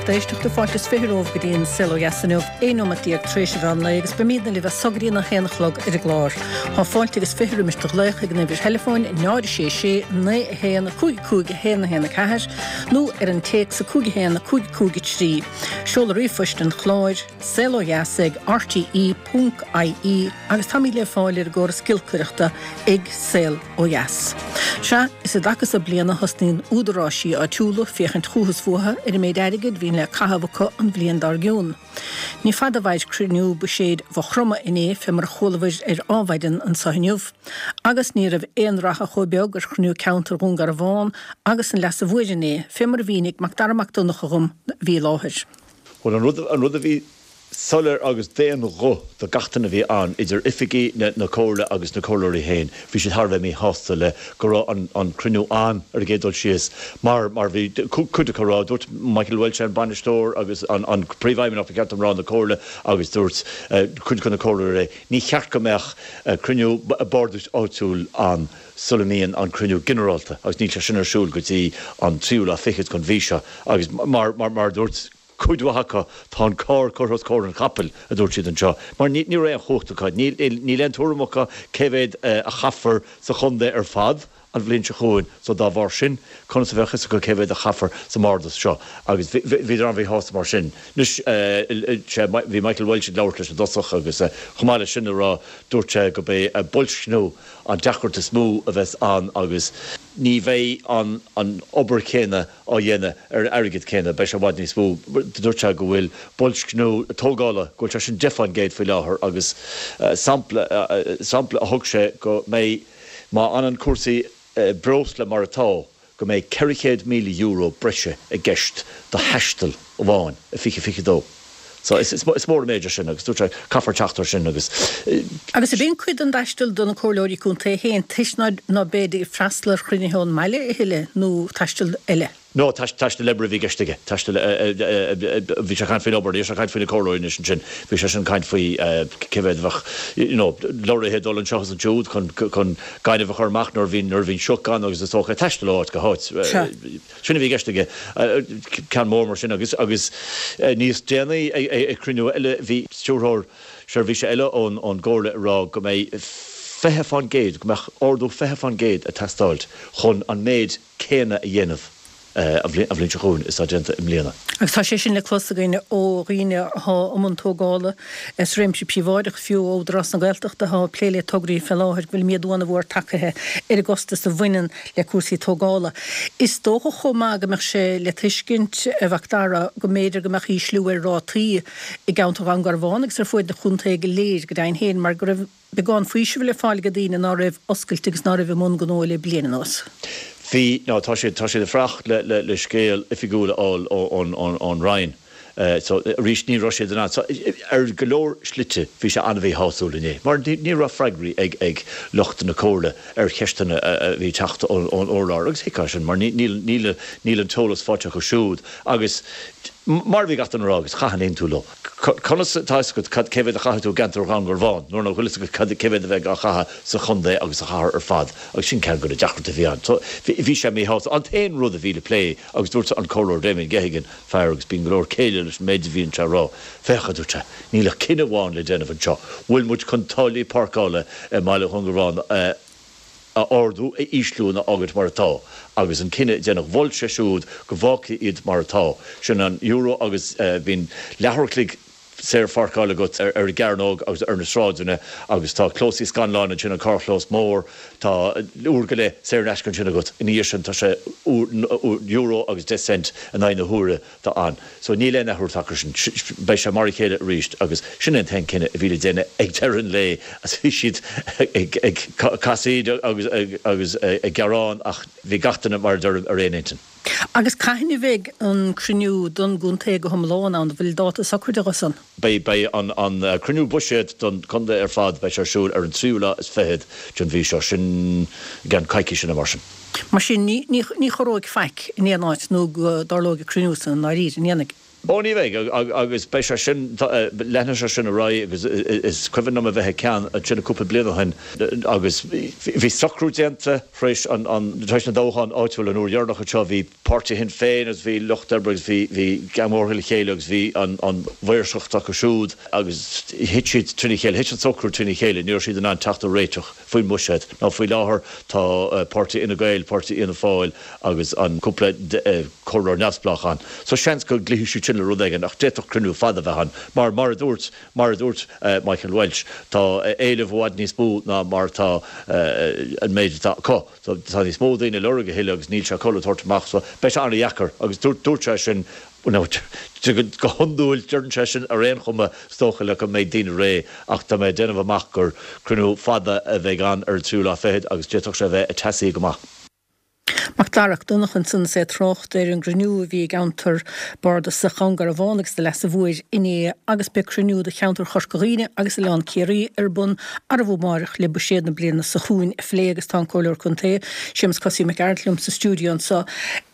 lucht éisteachta, fáilte is 20 romhaibh go dtí an Saol Ó Dheas inniu, 11 nóimeat tar éis an mheán lae agus beimidne libh as so go dtí an 1 a chlog ar an gclár. Tá fáilte agus 20 roimis do ghlaoch ag an uimhir theileafóin 0 6 6 9 1 5 5 1 1 4 nó ar an téacs 5 1 5 5 3. Seoladh ríomhphoist an chláir, saolodheas ag rte ponc ie agus táimid le fáil ar an gcóras giolcaireachta ag Saol Ó Dheas. Sea, is i dtaca so bliana a thosnaíonn údaráisí áitiúla féachaint chúthu is fúthu ar an méid airgid bhíonn le caitheamh acu an bhliain dár gcionn. Ní fada a mhair cruinniú buiséid Mhaigh Chromtha inné fé mar a chualabhair ar Adhmhaidin anso inniu. Agus ní raibh aon rath chomh beag ar chruinniú ceantair Dhún Garbhán agus an Leasa Mhóir inné, fé mar a mhínigh Macdara Mac Donncha dhom a bhí i láthair. Bhuel, an rud, an rud a bhí soiléir agus d'aon ghuth do gach duine a bhí ann, idir oifigigh na Comhairle agus na Comhairleoirí féin, bhí siad thar a bheith míshásta le go raibh an an cruinniú ann ar an gcéad dul síos mar mar bhí cuid acu ag rá, dúirt Michael Walsh, an bainisteoir agus an an príomhfheidhmeannach ba cheart dom rá na Comhairle agus dúirt cuid de na Comhairleoirí, ní cheart go mbeadh cruinniú bardais áitiúil ann sula mbíonn an cruinniú ginearálta agus níl sé sin ar siúl go dtí an tríú lá fichead den mhí seo agus mar mar mar a dúirt cuid mhaith acu, tá an carr curtha os comhair an chapaill, a dúirt siad anseo, mar ní raibh aon chumhacht acu, níl aon tuairim acu cé mhéad a chaithfear sa chontae ar fad an bhliain seo chugainn, so dá bharr sin, conas a bheadh fhios acu cé mhéad a chaithfear sa mbardas seo? Agus bhíodar an-mhíshásta mar sin. Anois, bhí Michael Walsh ag labhairt leis i dtosach agus chomh maith leis sin a rá, dúirt sé go b'é boilscniú an deacracht is mó a bheas ann agus ní bheidh an obair chéanna á dhéanamh ar an airgead céanna, beidh sé i bhfad níos mó. Dúirt sé go bhfuil boilscniú tógála, go bhfuil sé sin 10 fán gcéad faoi láthair agus sampla, sampla a thug sé go mbeidh, má fhanann cúrsaí breosla mar atá, go mbeidh €400,000 breise i gceist do thaisteal amháin i 2022. So is mór an méid é sin agus dúirt sé caithfear teacht air sin agus. Agus ab in cuid den dtaisteal do na comhairleoirí contae féin toisc ná beid ag freastal ar chruinnithe ón mbaile a thuilleadh nó taisteal eile? No, taisteal oibre a bhí i gceist aige. Taisteal, bhí sé ag caint faoin obair, ní raibh sé ag caint faoi na comhairleoirí anois ansin. Bhí sé sin ag caint faoi cé mhéad a bheadh, you know, lorraithe ag dul anseo is ansiúd chun, chun gaineamh a chur amach nuair a bhíonn, nuair a bhíonn sioc ann agus is dócha taisteal ó áit go háit. Sea. Sin a bhí i gceist aige, ceann mór mar sin agus agus níos déanaí ag cruinniú eile bhí stiúrthóir seirbhíse eile ón gComhairle ag rá go mbeidh 20%, go mbeadh ardú 20% ag teastáilt chun an méid céanna a dhéanamh an bhliain seo chugainn is atá déanta i mbliana. Agus tá sé sin le clos againn ó dhaoine atá i mbun tógála, sa réimse príobháideach, fiú ó Údarás na Gaeltachta atá ag plé le tograí fé láthair, go bhfuil méadú an-mhór tagtha ar an gcostas a bhaineann le cúrsaí tógála. Is dócha chomh maith go mbeadh sé le tuiscint, a Mhacdara, go mb'fhéidir go mbeadh ísliú ar rátaí i gceantar Dhún Garbhán agus ar fuaid an chontae go léir go deimhin féin mar go raibh beagán faoisimh le fáil ag daoine ná raibh oscailte agus ná raibh i mbun gnó le bliain anuas. Bhí, nó tá siad, tá siad ag fanacht le, le, le scéal oifigiúil a fháil ón, ón, ón Roinn. So, arís, ní raibh siad in ann. So, ar go leor slite, bhí sé an-mhíshásúil inné, mar ní raibh freagraí ag ag lucht na Comhairle ar cheisteanna a bhí ag teacht ón urlár, agus thuigfeá sin, mar níl níl níl an t-eolas faighte acu siúd. Agus mar a bhí gach duine ag rá, agus chaithfinn aontú leo, conas atá fhios agat cad cé mhéad a chaithfidh tú i gceantar Dhún Garbhán, nuair nach bhfuil fhios agat cad cé mhéad a bheidh á chaitheamh sa chontae agus sa chathair ar fad, agus sin ceann de na deacrachtaí a bhí ann. So, bhí sé míshásta. An t-aon rud a bhí le plé, agus dúirt an Comhairleoir Damien Geoghegan, fear agus bíonn go leor céille leis an méid a bhíonn sé a rá. Féach, a dúirt sé, níl ach cinneadh amháin le déanamh anseo. Bhfuil muid chun táillí páirceála i mbaile Dhún Garbhán a ardú, a ísliú nó a fhágaint mar atá? Agus an cinneadh a déanamh. Mhol sé siúd go bhfágfaí iad mar atá. Sin an euro agus bíonn leathuair a chloig saorpháirceáil agat ar an gCearnóg agus ar na sráideanna agus tá Clós Uí Scanláin ansin, an carrchlós mór, tá uair go leith saor in aisce ansin agat. Ina dhiaidh sin tá sé euro agus 10 cent in aghaidh na huaire atá ann. So níl aon athrú tagtha air sin. Beidh sé mar a chéile arís agus sin é an t-aon cinneadh a bhí le déanamh ag deireadh an lae agus bhí siad ag casaoid agus agus ag gearán ach bhí gach duine mar a deirim ar aon intinn. Agus cathain a bheidh an cruinniú don gcontae go hiomlán ann? An bhfuil dáta socraithe dó san? Beidh, beidh an, an cruinniú buiséid don chontae ar fad, beidh sé ar siúl ar an tríú lá is fichead den mhí seo, sin i gceann coicíse nó mar sin. Mar sin, ní, ní, ní chorróidh faic in aon áit nó go dtarlóidh an cruinniú san i ndáiríre, an ndéanfaidh? Ó ní bheidh, agus beidh sé sin, leanfaidh sé sin ar aghaidh agus is cuimhin liom a bheith ag ceann ansin cúpla bliain ó shin agus bhí socrú déanta tar éis an, tar éis na dtoghchán áitiúil an uair dheireanach anseo, bhí Páirtí Shinn Féin agus bhí Lucht Oibre agus bhí, bhí geamhórtha le chéile agus bhí an, an mhaoirseacht acu siúd agus thit siad trína chéile, thit an socrú trína chéile, ní raibh siad in ann teacht ar réiteach faoin mbuiséad. Now faoi láthair tá Páirtí Fhine Gael, Páirtí Fhianna Fáil agus an cúpla comhairleoir neamhspleách ann. So seans go gcloífidh siad sin le rud éigin ach d'fhéadfadh cruinniú fada a bheith ann mar mar a dúirt mar a dúirt Michael Walsh tá éileamh i bhfad níos mó ná mar atá an méid atá acu. So tá níos mó daoine ag lorg a thuilleadh agus níl sé acu le tabhairt amach so beidh sé an-dheacair agus dúirt dúirt sé sin Now, go hiondúil, deireann sé sin ar aon chuma, is dócha le go mbeidh daoine réidh, ach tá mé ag déanamh amach gur cruinniú fada a bheidh ann ar an tríú lá fichead agus d'fhéadfadh sé a bheith ag teasaí go maith. Mac Dara Mac Donncha ansan is é ag trácht ar an gcruinniú a bhí i gceantar Bardasach Dhún Garbhán agus do Leasa Mhóir inné agus beidh cruinniú do cheantar Chorca Dhuibhne agus Oileán Ciarraí ar bun arbhú amáireach le buiséad na bliana seo chugainn a phlé agus tá an Comhairleoir Contae, Séamus Cosaí Mac Gearailt liom sa stiúideo anseo.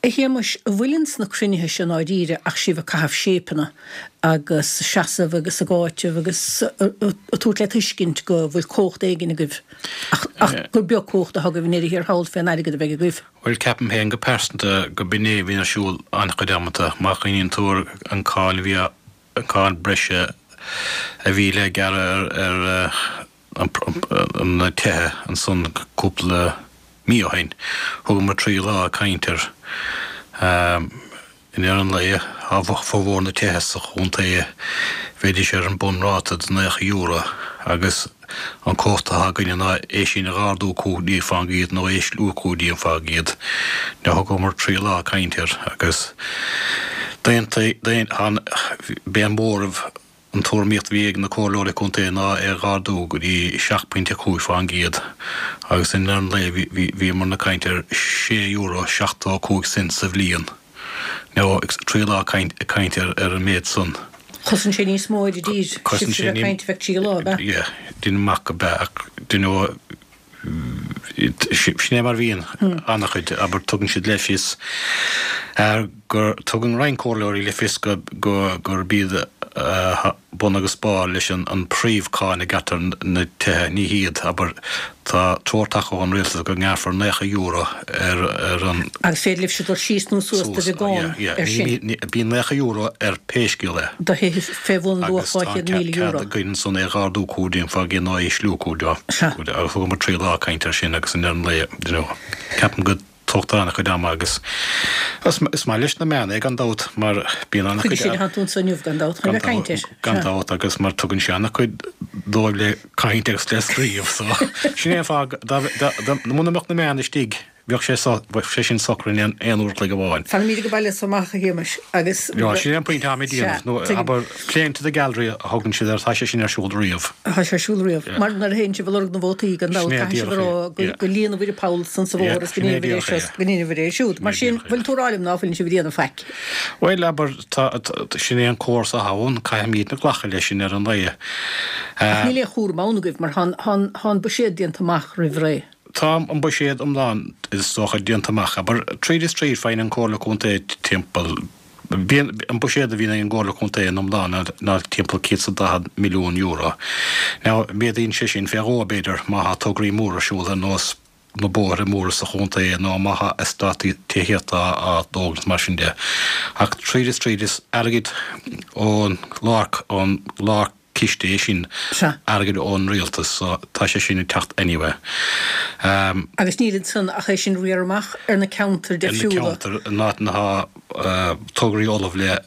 A Shéamuis, an bhfuil ins na cruinnithe seo i ndáiríre ach sibh ag caitheamh séipeanna agus ag seasamh agus ag áiteamh agus ag tabhairt le tuiscint go bhfuil cumhacht éigin agaibh ach gur beag cumhacht atá agaibh i ndeireadh thiar thall fén airgead a bheidh agaibh? Bhuel, ceapaim féin go pearsanta go b'in é a bhíonn ar siúl an-chuid amanta. Má chuimhníonn tú ar an cáin a bhí á, an cáin breise a bhí le gearradh ar, ar na tithe ansan cúpla mí ó shin. Thugamar 3 lá ag caint air. I ndeireadh an lae, tá formhór na tithe sa chontae, bheidís ar an bunráta de €90 agus an cumhacht atá againne ná é sin a dh'ardú 15% nó a ísliú 15%. Now thugamar 3 lá ag caint air agus d'aontaigh, b'é an móramh An tuairimíocht a bhí ag na comhairleoirí contae ná é a dh'ardú go dtí 7.5% agus i ndeireadh an lae bhíomar ag caint ar €6.75 sa bhliain. Now, 3 lá ag caint ar an méid san. Chosain sé níos mó ar an dtír, sibhse a bheith ag caint ar feadh 3 lá, ab ea? Yeah, deinim amach go b'ea ach do you know sin é mar a bhíonn an-chuid, abair, tugann siad le fios gur, tugann roinnt comhairleoirí le fios go, gurb iad bun agus barr leis an príomhcháin a ghearrtar na tithe, ní hiad, abair, tá treoir tagtha ón rialtas go ngearrfar €90 ar an. Agus féidir libhse dul síos nó suas de bheagán ar sin. Bíonn €90 ar pé scéal é. Do thithe fé bhun luach €200,000. Agus tá cead againn ansan é dh'ardú 15% nó a ísliú 15%. Agus thugamar 3 lá ag caint air sin agus i ndeireadh an lae, you know, ceapaim go dtógtar an-chuid ama agus is maith leis na meáin é gan dabht mar bíonn an-chuid. Chuige sin atá tú anso inniu gan dabht, chun a bheith ag caint air. Gan dabht agus mar tugann sé an-chuid dóibh le caint agus le scríobh so sin é an fáth muna mbeadh na meáin istigh Bheadh sé so, bheadh sé sin socair in aon uair a chloig amháin. Fanaimid ag baile so amach, a Shéamais, agus. Sea, sin é an pointe atáim ag déanamh, nó abair, playing to the gallery a thugann siad air, tá sé sin ar siúl riamh. Tá sé ar siúl riamh. Mar nuair a théann sibh ag lorg na vótaí, gan dabht, caithfidh sibh a rá go líonfaibh an poll san sa bhóthar agus go ndéanfaibh é seo is go ndéanfaibh é siúd. Mar sin, bhfuil tú ag rá liom ná fuileann sibh ag déanamh faic? Bhuel, abair, tá, sin é an córas atá ann, caithfimidne glacadh leis sin ar an lae. Ach níl aon chúram ann agaibh, mar tá an buiséad déanta amach roimh ré. Tá an buiséad iomlán, is dócha, déanta amach. Abair, tríd is tríd, faigheann an Comhairle Contae timpeall, bíonn, an buiséad a bhíonn ag an gComhairle Contae in iomlán ná timpeall €140 milliún. Now, méadaíonn sé sin fé dhó, b'fhéidir, má thá tograí móra ar siúl ar nós na bóithre móra sa chontae nó má thá eastátaí tithíochta á dtógaint mar sin de. Ach tríd is tríd, is airgead ón lár, ón lár, ciste é sin, airgead ón rialtas, so tá sé sin ag teacht anyway. Agus níl ansan ach é sin a riar amach ar na ceantair difriúla. Ar na ceantair, in áit atá tograí ullamh le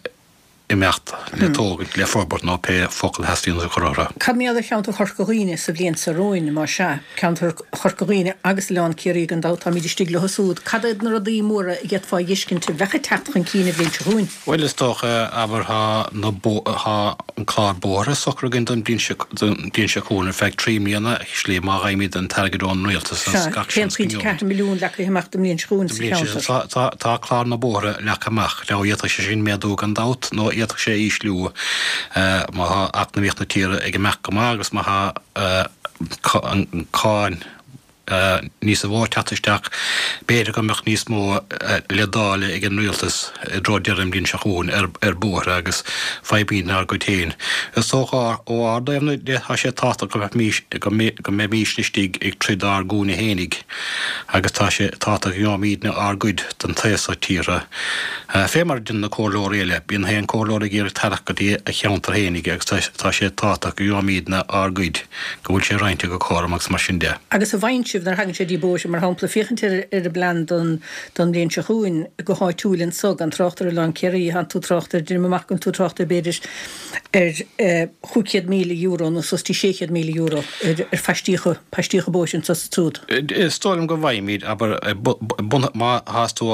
imeacht, le tógaint, le forbairt nó pé focal a theastaíonn a chur orthu. Cad mar gheall ar cheantar Chorca Dhuibhne sa bhliain seo romhainn, más ea? Ceantar Chorca Dhuibhne agus Oileán Ciarraí gan dabht, táimid istigh leo súd. Cad iad na rudaí móra a d'fhéadfá a dh'fheiscint a bheadh ag teacht chun cinn an bhliain seo chugainn? Bhuel, is dócha, abair, tá na bó, tá an clár bóithre socraithe againn don bhliain seo, don bhliain seo chugainn ar feadh 3 mbliana, actually, má fhaighimid an t-airgead ón rialtas Sea, agus gach seans go 1.4 milliún leagtha amach don mbliain seo chugainn sa cheantar. Tá, tá, tá clár na bóithre leagtha amach. Now, d'fhéadfadh sé sin méadú gan dabht, nó d'fhéadfadh sé ísliú, má tá eacnamaíocht na tíre ag imeacht go maith agus má tá an cáin. níos mó ag teacht isteach, b'fhéidir go mbeadh níos mó le dáileadh ag an rialtas i dtreo deireadh an bhliain seo chugainn ar bhóithre agus faighimidne ár gcuid féin. Is dócha ó ár dtaobh de tá sé tábhachtach go go mbeimísne istigh ag troid ár gcúinne fhéinig agus tá sé tábhachtach go ngeobhaimídne ár gcuid den taobh so tíre. Fé mar a deineann na comhairleoirí eile, bíonn aon comhairleoir ag iarraidh tarrac go dtí a cheantar fhéinig agus tá sé tábhachtach go ngeobhaimídne ár gcuid. go bhfuil sé roinnte go cothrom agus mar sin de. Agus an bhfaigheann sibh, nuair a thagann sé dtí bóithre, mar shampla, féachaint ar ar an bplean don don bhliain seo chugainn go háitiúil anso, gan trácht ar Oileán Ciarraí, thánn tú ag trácht ar, deinim amach go bhfuil tú ag trácht ar b'fhéidir ar €500,000 nó suas dtí €600,000 ar ar phaistíocha, paistíocha bóithre anso is ansúd. Is dóigh liom go bhfaighimid, abair, má thás tú,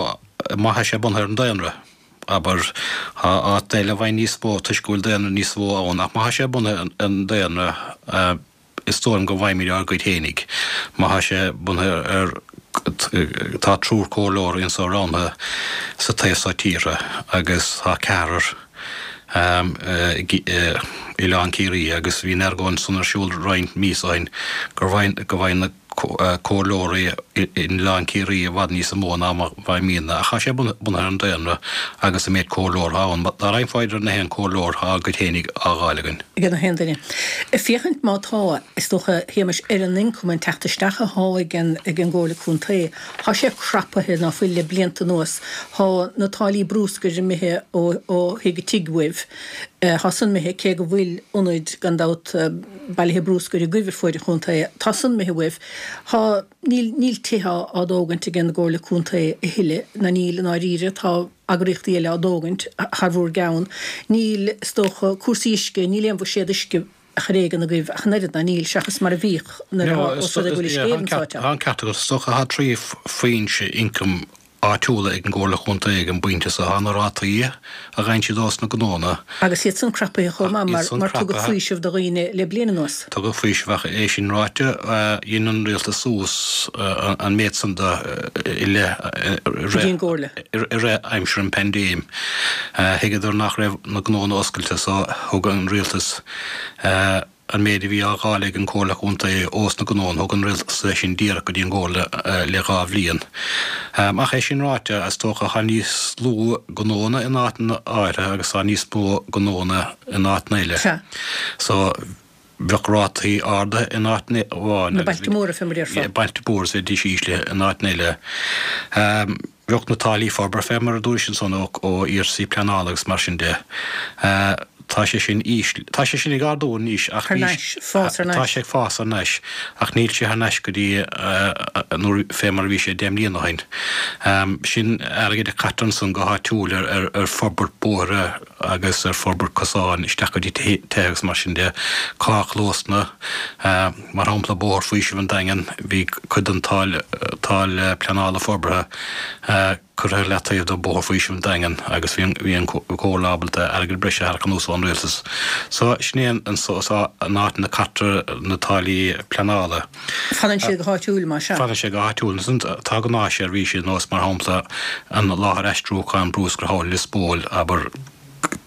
má thá sé bunaithe ar an daonra. Abair, tá áit eile a bhfaigheann níos mó toisc go bhfuil daonra níos mó ann, ach má thá sé bunaithe ar an daonra, is dóigh liom go bhfaighimid ár gcuid fhéinig. Má thá sé bunaithe ar, tá triúr comhairleoirí anso roghnaithe sa taobh so tíre agus tá ceathrar i Oileán Ciarraí agus bhí an argóint san ar siúl roinnt míosa ó shin gur go bhfaigheann na comhairleoirí in Oileán Ciarraí i bhfad níos mó ná mar a bhfaighimidne, ach tá sé bunaithe ar an daonra agus an méid comhairleoir atá ann. Dá roinnfeá idir na haon comhairleoir, tá ár gcuid fhéinig á dh'fháil againn. Ag na haon duine. Ag féachaint má tá, is dócha, a Shéamais, ar an ioncam, an teacht isteach athá ag an ag an gComhairle Contae, thá sé crapaithe, ná fuil, le blianta anuas. Thá na táillí brúscair imithe ó ó thigh go tigh uaibh. Thá san imithe, cé go bhfuil ionaid, gan dabht, bailithe brúscair agaibh ar fuaid an chontae. Tá san imithe uaibh. Tá, níl, níl tithe á dtógaint ag an gComhairle Contae a thuilleadh, ná níl i ndáiríre, tá eagraíochtaí eile á dtógaint thar bhur gceann. Níl, is dócha, cúrsaí uisce, níl aon bhuiséad uisce ar éigean agaibh ach an oiread, ná níl, seachas mar a bhíodh nuair a, os rud é go bhfuil uisce Éireann sáite ann. Tá an ceart agat. Is dócha tá 3 foinse ioncaim áitiúla ag an gComhairle Chontae ag an bpointe seo. Tá na rátaí a gheibheann siad ós na gnónna. Agus iad san crapaithe chomh maith mar mar tugadh faoiseamh do dhaoine le bliain anuas. Tugadh faoiseamh ach é sin ráite, dhein an Rialtas suas an méid san de i leith Go dtí an gComhairle. i rith aimsir an paindéim. Thuigeadar nach raibh na gnónna oscailte so thug an Rialtas An méid a bhí á dháileadh ag an Comhairle Contae ós na gnónna, thug an Rialtas é sin díreach go dtí an gComhairle le 2 bhliain. Ach é sin ráite, is dócha tá níos lú gnónna in áiteanna áirithe agus tá níos mó gnónna in áiteanna eile. Sea. So, bheadh rátaí ardaithe in áit amháin Na bailte móra, fé mar a déarfá. Bailte móra, is bheidís íslithe in áiteanna eile. Bheadh na táillí forbartha fé mar a dúrais ansan ó iarrataisí pleanála agus mar sin de. Tá sé sin ísl, tá sé sin ag ardú anois ach Thar n-ais, fás thar n-ais. Tá sé ag fás thar n-ais ach níl sé thar n-ais go dtí nuair, fé mar a bhí sé 10 mbliana ó shin. Sin airgead a caitear ansan go háitiúil ar, ar, ar forbairt bóithre agus ar forbairt cosáin isteach go dtí tithe agus mar sin de. Carrchlósanna, mar shampla Bóthar Faoisimh an Daingin, bhí cuid den táille, táille pleanála forbartha curtha ar leataobh do Bhóthar Faoisimh an Daingin agus bhí an, bhí an Comhairle ábalta airgead breise a tharrac anuas ón Rialtas. So sin é an, so, so an áit ina caitear na táillí pleanála. Fanann siad go háitiúil, más ea. Fanann sé go háitiúil. Ansan tá gnáthsheirbhísí ar nós, mar shampla, an láthair aistriúcháin brúscair thall i Lios Póil, abair,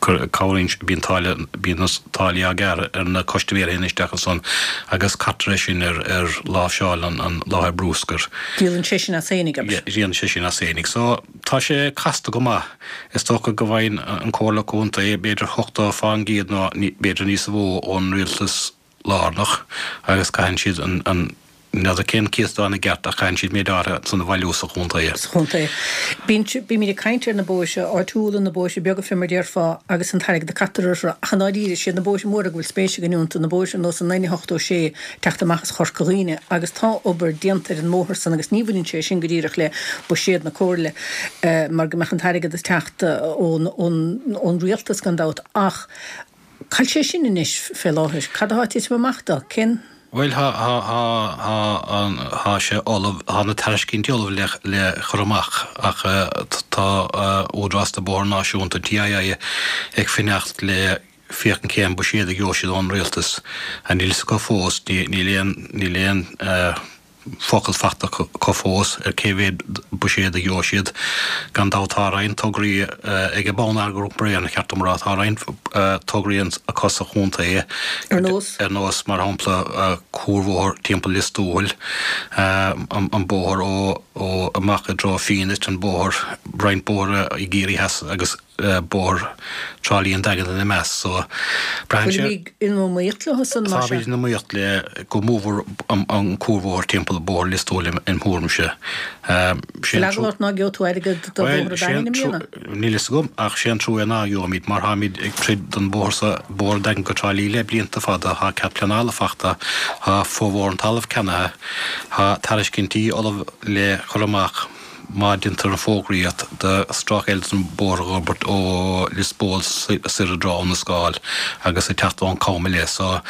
cabhraíonn, bíonn táille, bíonn na táillí á gearradh ar na custaiméirí a théann isteach ansan agus caitear é sin ar, ar láimhseáil an, an láthair brúscair. Díolann sé sin as fhéinig, abair. Díolann sé sin as fhéinig. So, tá sé casta go maith. Is dócha go bhfaigheann an Comhairle Contae b'fhéidir 80% nó b'fhéidir níos mó ón rialtas lárnach agus caitheann siad an, an, n'fheadar cén céatadán i gceart ach caitheann siad méid áirithe ansan a bhailiú sa chontae. Sa chontae. Bíonn, bímid ag caint ar na bóithre áitiúla, na bóithre beaga fé mar déarfá agus an t-airgead a caitear orthu ach i ndáiríre is iad na bóithre móra go bhfuil spéis againn iontu, na bóithre ar nós an N86 teacht amach as Chorca Dhuibhne agus tá obair déanta ar an mbóthar san agus ní bhaineann sé sin go díreach le buiséad na Comhairle mar go mbeadh an t-airgead ag teacht ón, ón, ón rialtas gan dabht ach Cá bhfuil sé sin anois fé láthair? Cad athá ag titim amach dó? Cén. Bhuel, thá, thá, thá, thá an, thá sé ullamh, thá na tairiscintí ullamh le, le cur amach ach tá Údarás na Bóithre Náisiúnta, an TII, ag fanacht le féachaint cén buiséad a gheobhaidh siad ón Rialtas. Níl fhios acu fós, níl aon, níl aon. focal fachta acu fós ar cé mhéad buiséad a gheobhaidh siad. Gan dabht tá roinnt tograí ag Bonneagar Iompair Éireann, cheart dom a rá, tá roinnt tograí acu sa chontae. Ar nós? Ar nós, mar shampla, cuarbhóthar timpeall Lios Tuathail, an bóthar ó amach i dtreo Fenit, an bóthar, roinnt bóithre i gCiarraí Theas agus. bóthar Trá Lí an Daingean ina measc so braitheann sé. Bhfuil in iomaíocht leo san mar sin? Táimid in iomaíocht le go mórmhór an cuarbhóthar timpeall bóthar Lios Tuathail im thuairimse. Bhfuil eagla ort ná gheobhaidh tú airgead do bhóthar an Daingin i mbliana? Níl fhios agam ach sé an trua é ná gheobhaimid mar táimid ag troid don bhóthar so, bóthar an Daingin go Trá Lí le blianta fada, tá cead pleanála fachta, tá formhór an talamh ceannaithe, tá tairiscintí ullamh le cur amach. Má deintear an fógraíocht do stráice eile den bóthar a dh'fhorbairt ó Lios Póil soir i dtreo Abhainn na Scáil agus ag teacht ón Cam i leith so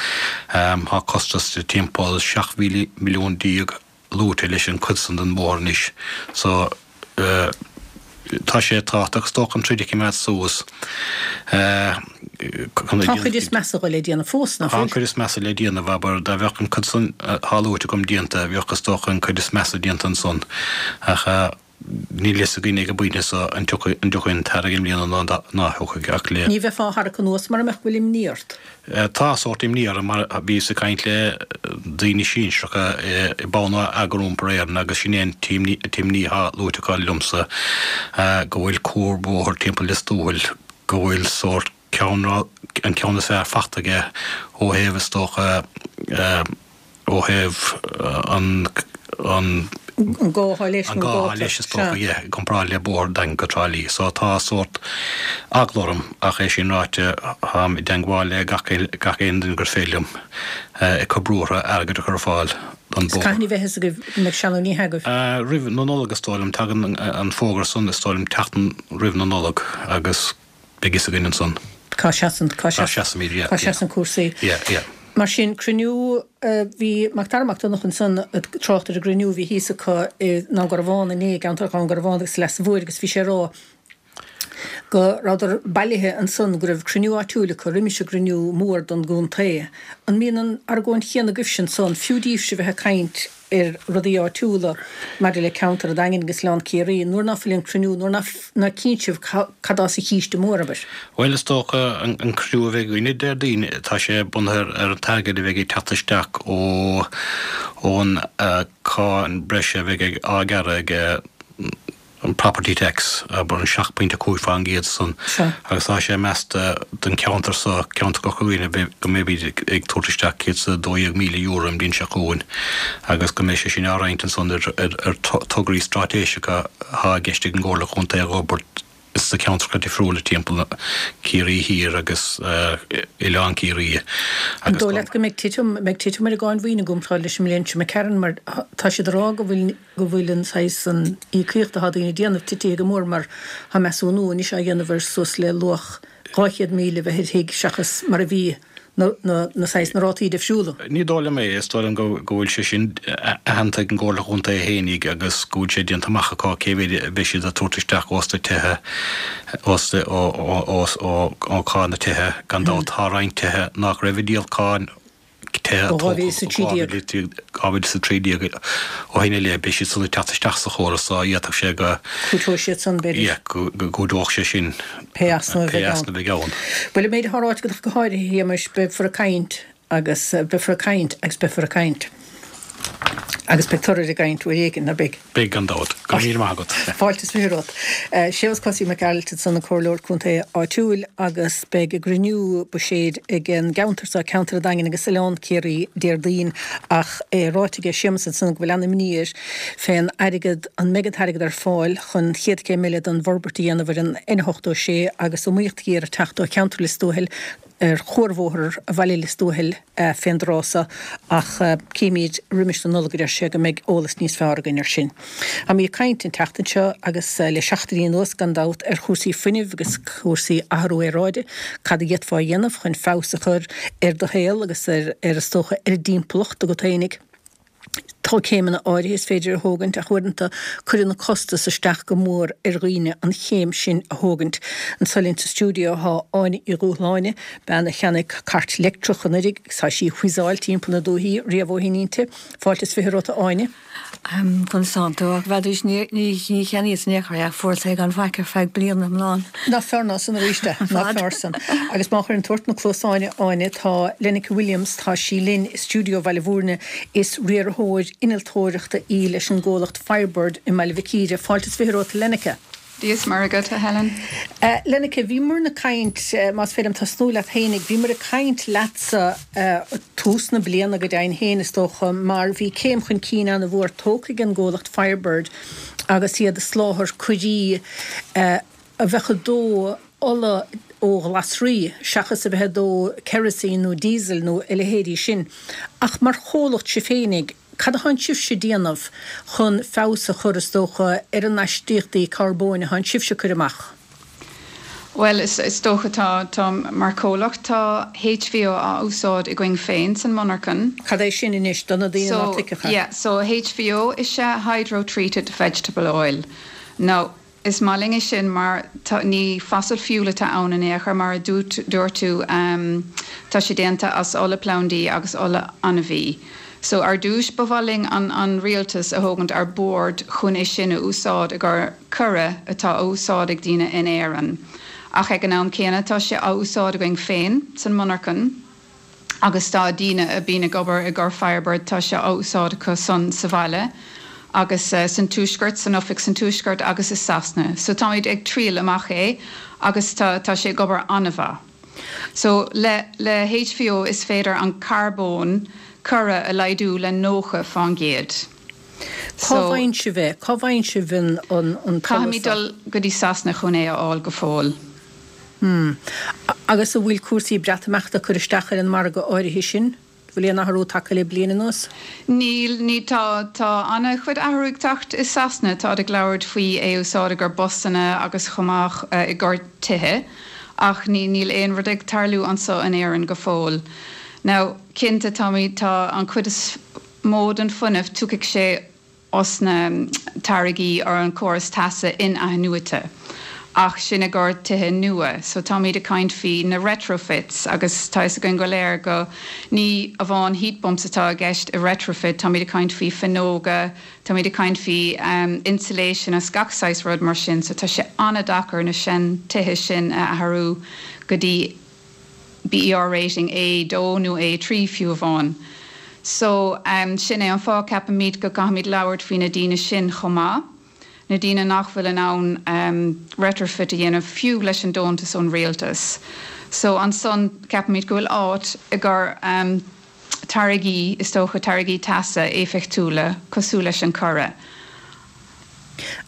tá costas de timpeall 17 mhilliún luaite leis an cuid san den bhóthar anois so tá sé tábhachtach is dócha an troid a chimeád suas. Tá an chuid is measa le déanamh fós, nach bhfuil? Tá an chuid is measa le déanamh, abair, dá bheadh an cuid san atá luaite agam déanta, bheadh is dócha an cuid is measa déanta ansan. Ach níl fhios againn ag an bpointe so an dtiocfaidh an dtiocfaidh an t-airgead i mbliana nó ná thiocfaidh ach le. Ní bheifeá á tharrac anuas mura mbeadh go bhfuil imní ort. Tá sórt imní orm mar bhíos ag caint le daoine sinsearacha i Bonneagar Iompair Éireann agus sin é an t-imní atá luaite acu liomsa, go bhfuil cuarbhóthar timpeall Lios Tuathail, go bhfuil sórt ceann, an ceann is fearr fachta aige ó thaobh is dócha, ó thaobh an, an. An gá atá leis nó an gá atá leis is dócha, yeah, i gcomparáid le bóthar an Daingin go Trá Lí. So tá sórt eagla orm ach é sin ráite táim i dteangmháil le gach gach aon duine gur féidir liom ag cur brú orthu airgead a chur ar fáil don bóthar. Cathain a bheidh fhios agaibh an mbeidh sé nó ní agaibh? Roimh na Nollag is dóigh liom. Tagann an fógra san is dóigh liom tseachtain roimh na Nollag agus Beidh fhios againn ansan. Cá seasann, cá seasaimid, yeah, cá seasann cúrsaí. Yeah, yeah. Mar sin, cruinniú, bhí Mac Dara Mac Donncha ansan ag trácht ar an gcruinniú a bhí thíos acu i nDún Garbhán inné, i gceantar Dhún Garbhán agus Leasa Mhóir agus bhí sé ag rá go rabhadar bailithe ansan, go raibh cruinniú áitiúil acu roimis an gcruinniú mór don gcontae. An mbíonn an argóint chéanna agaibhse ansan, fiú daoibhse bheith ag caint ar rudaí áitiúla maidir le ceantar an Daingin agus Oileán Ciarraí, nuair ná fuil an cruinniú, nuair ná cinnte sibh cad atá sa chíste mór, abair. Bhuel, is dócha, an cruinniú a bheidh againne Déardaoin, tá sé bunaithe ar an t-airgead a bheidh ag teacht isteach ó ón cáin breise a bheidh á gearradh ag an property tax, abair an 7.5% san, agus tá sé measta don cheantar so, ceantar Chorca Dhuibhne, go mbeimid ag tabhairt isteach €112,000 an bhliain seo chugainn agus go mbeidh sé sin á roinnt ansan ar tograí straitéiseacha atá i gceist ag an gComhairle Chontae a dh'fhorbairt sna ceantracha difriúla timpeall Ciarraí Thiar agus Oileán Ciarraí An dóigh leat go mbeidh titim, mbeidh titim ar an gcáin mhaoine i gcomparáid leis an mbliain seo imigh tharainn mar tá siad ag rá go bhfuil go bhfuil an saghas, an íocaíocht atá daoine ag déanamh titithe go mór mar tá measúnú anois á dhéanamh ar suas le luach 200,000 a bheith ar thigh seachas mar a bhí na, na, na saghas, na rátaí difriúla. Ní dóigh liom é. Is dóigh liom go, go bhfuil sé sin aitheanta ag an gComhairle Chontae fhéinig agus go bhfuil sé déanta amach acu cé mhéid a bheidh siad ag tabhairt isteach ós na tithe, ós, ó, ó, ó, ó, ó cáin na tithe. Gan dabht tá roinnt tithe nach raibh ag díol cáin tithe a tógadh ó 2013 ó shin i leith, beidh siad san ag teacht isteach sa chóras so d'fhéadfadh sé go. Cúiteoidh siad san, b'fhéidir. Yeah, go gcúiteodh sé sin. Pé easnamh a bheidh ann. Pé easnamh a bheidh ann. Bhuel, an méid atá ráite agat ach go háirithe, a Shéamais, beifear ag caint agus beifear ag caint agus beifear ag caint. Agus beidh toradh ar an gcaint uair éigin, ná beidh? Beidh, gan dabht. Go raibh míle maith agat. Fáilte is 20 romhat. Séamus Cosaí Mac Gearailt ansan, an Comhairleoir Contae áitiúil agus beidh a gcruinniú buiséid ag an gceantar seo, ceantar an Daingin agus Oileán Ciarraí, Déardaoin ach é ráite aige Séamus ansan go bhfuil an-imní air fén airgead, an mbeidh an t-airgead ar fáil chun chéad chéim eile den bhforbairt a dhéanamh ar an N86 agus iomaíocht ghéar ag teacht ó cheantar Lios Tuathail ar chuarbhóthar bhaile Lios Tuathail fén dtráth so ach cífimid roimis na Nollag a deir sé go mbeidh eolas níos fearr againn ar sin. Táimid ag caint an tseachtain seo agus le seachtainí anuas gan dabht ar chúrsaí fuinnimh agus cúrsaí athrú aeráide, cad a d'fhéadfá a dhéanamh chun feabhas a chur ar do shaol agus ar, is dócha, ar an dtimpeallacht agat fhéinig. Tá céimeanna áirithe is féidir a thógaint ach uaireanta cuireann an costas isteach go mór ar dhaoine an chéim sin a thógaint. Anseo linn sa stiúideo tá Áine Uí Dhúshláine, bean a cheannaigh cairt leictreach anuiridh agus tá sí ag whizzáil timpeall na dúichí riamh ó shin inti. Fáilte is 20 romhat a Áine. Conas tánn tú? Ach b'fheadaís ní cheannaíos in aon chor é ach fuaireas é gan faic ar feadh bliana iomlán. Ná fearr ná san arís é, ná fearr san. Agus má chuireann tú ort na cluasáin a Áine, tá Lenneke Williams, tá sí linn i stiúideo Bhaile Bhúirne, is riarthóir innealtóireachta í leis an gcomhlacht Firebird i mBaile Mhic Íre. Fáilte is 20 romhat a Lenneke. Dia is Muire agat, a Helen. Lenneke, bhíomar ag caint, más féidir liom tosnú leat fhéinig, bhíomar ag caint leatsa tús na bliana go deimhin féin is dócha, mar bhí céim chun cinn an-mhór tógtha ag an gcomhlacht Firebird agus iad ag soláthar coirí a bheadh ag dó ola ó ghlasraí seachas a bheith ag dó kerosene nó diesel nó a leithéidí sin. Ach mar chomhlacht sibh féinig, Cad atánn sibhse déanamh chun feabhas a chur, is dócha, ar an astaíochtaí carbóin atánn sibhse ag cur amach? Bhuel, is dócha, tá, tá, mar chomhlacht, tá HVO á úsáid againn féin san monarchan. Cad é sin anois, do na daoine ná tuigfeadh é? So, yeah, so HVO is ea Hydrotreated Vegetable Oil. Now, Is maith linn é sin mar tá, ní fossil fuel atá ann in aon chor, mar a dúirt tú, tá sé déanta as ola plandaí agus ola ainmhí. So ar dtúis ba mhaith linn an an rialtas a thógaint ar bord chun é sin a úsáid i gcomhair coire atá á úsáid ag daoine in Éirinn. Ach ag an am céanna tá sé á úsáid againn féin san monarchan. agus tá daoine a bíonn ag obair i gcomhair Firebird, tá sé á úsáid acu san sa bhaile agus san tuaisceart, san oifig san tuaisceart agus i Sasana. So táimid ag triail amach é agus tá tá sé ag obair an-mhaith. So le le HVO is féidir an carbón coire a laghdú le 90 fán gcéad. Cá So. bhfaigheann sibh é? Cá bhfaigheann sibh an an an t-ola Caithfimid seo? dul go dtí Sasana chun é a fháil go fóill. Hmm. Agus an bhfuil cúrsaí Breatimeachta ag cur isteach ar an margadh áirithe sin? Bhfuil aon athrú tagtha le bliain anuas? Níl, ní, tá, tá an-chuid athrú ag teacht i Sasana. Táid ag labhairt faoi é a úsáid i gcomhair busanna agus chomh maith i gcomhair tithe. Ach ní, níl aon rud ag tarlú anso in Éirinn go fóill. Now, cinnte, táimid, tá an chuid is mó den fuinneamh, tiocfaidh sé os na táirgí ar an córas teasa in-athnuaite, ach sin i gcomhair tithe nua. So táimid ag caint faoi na retrofits agus tá fhios againn go léir go ní amháin heat pumps atá i gceist i retrofit, táimid ag caint faoi fuinneoga, táimid ag caint faoi insulation agus gach saghas rud mar sin. So tá sé an-deacair na sean tithe sin a athrú go dtí BER rating A2 nó A3 fiú amháin. So, sin é an fáth, ceapaimid, go gcaithfimid labhairt faoi na daoine sin chomh maith, na daoine nach bhfuil in ann retrofit a dhéanamh fiú leis an deontas ón rialtas. So, ansan, ceapaimid go bhfuil áit i gcomhair táirgí, is dócha, táirgí teasa éifeachtúla cosúil leis an coire.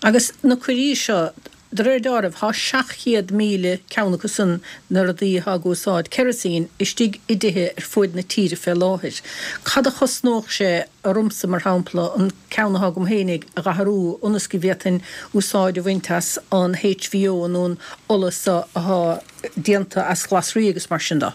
Agus na coirí seo, De réir deáraimh, tá 700,000 ceann acu san, na rudaí atá ag úsáid kerosene, istigh i dtithe ar fuaid na tíre fé láthair. Cad a chosnódh sé ormsa, mar shampla, an ceann atá agam féinig a dh'athrú ionas go bhféadfainn úsáid a bhaint as an HVO nó an ola so atá déanta as glasraí agus mar sin de?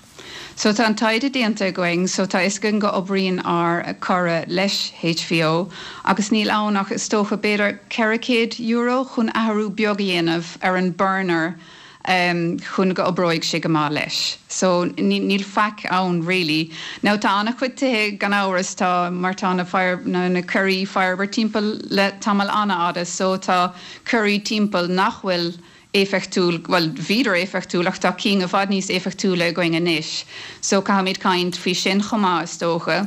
So tá an taighde déanta againn, so tá fhios againn go oibríonn ár coire leis HVO agus níl ann ach is dócha b'fhéidir €400 chun athrú beag a dhéanamh ar an burner chun go oibreoidh sé go maith leis. So níl faic ann really. Now tá an-chuid tithe gan amhras, tá mar tá na fire, na coirí Firebird timpeall le tamall an-fhada so tá coirí timpeall nach bhfuil éifeachtúil, bhuel, bhíodar éifeachtúil ach tá cinn i bhfad níos éifeachtúla againn anois so caithfimid caint faoi sin chomh maith is dócha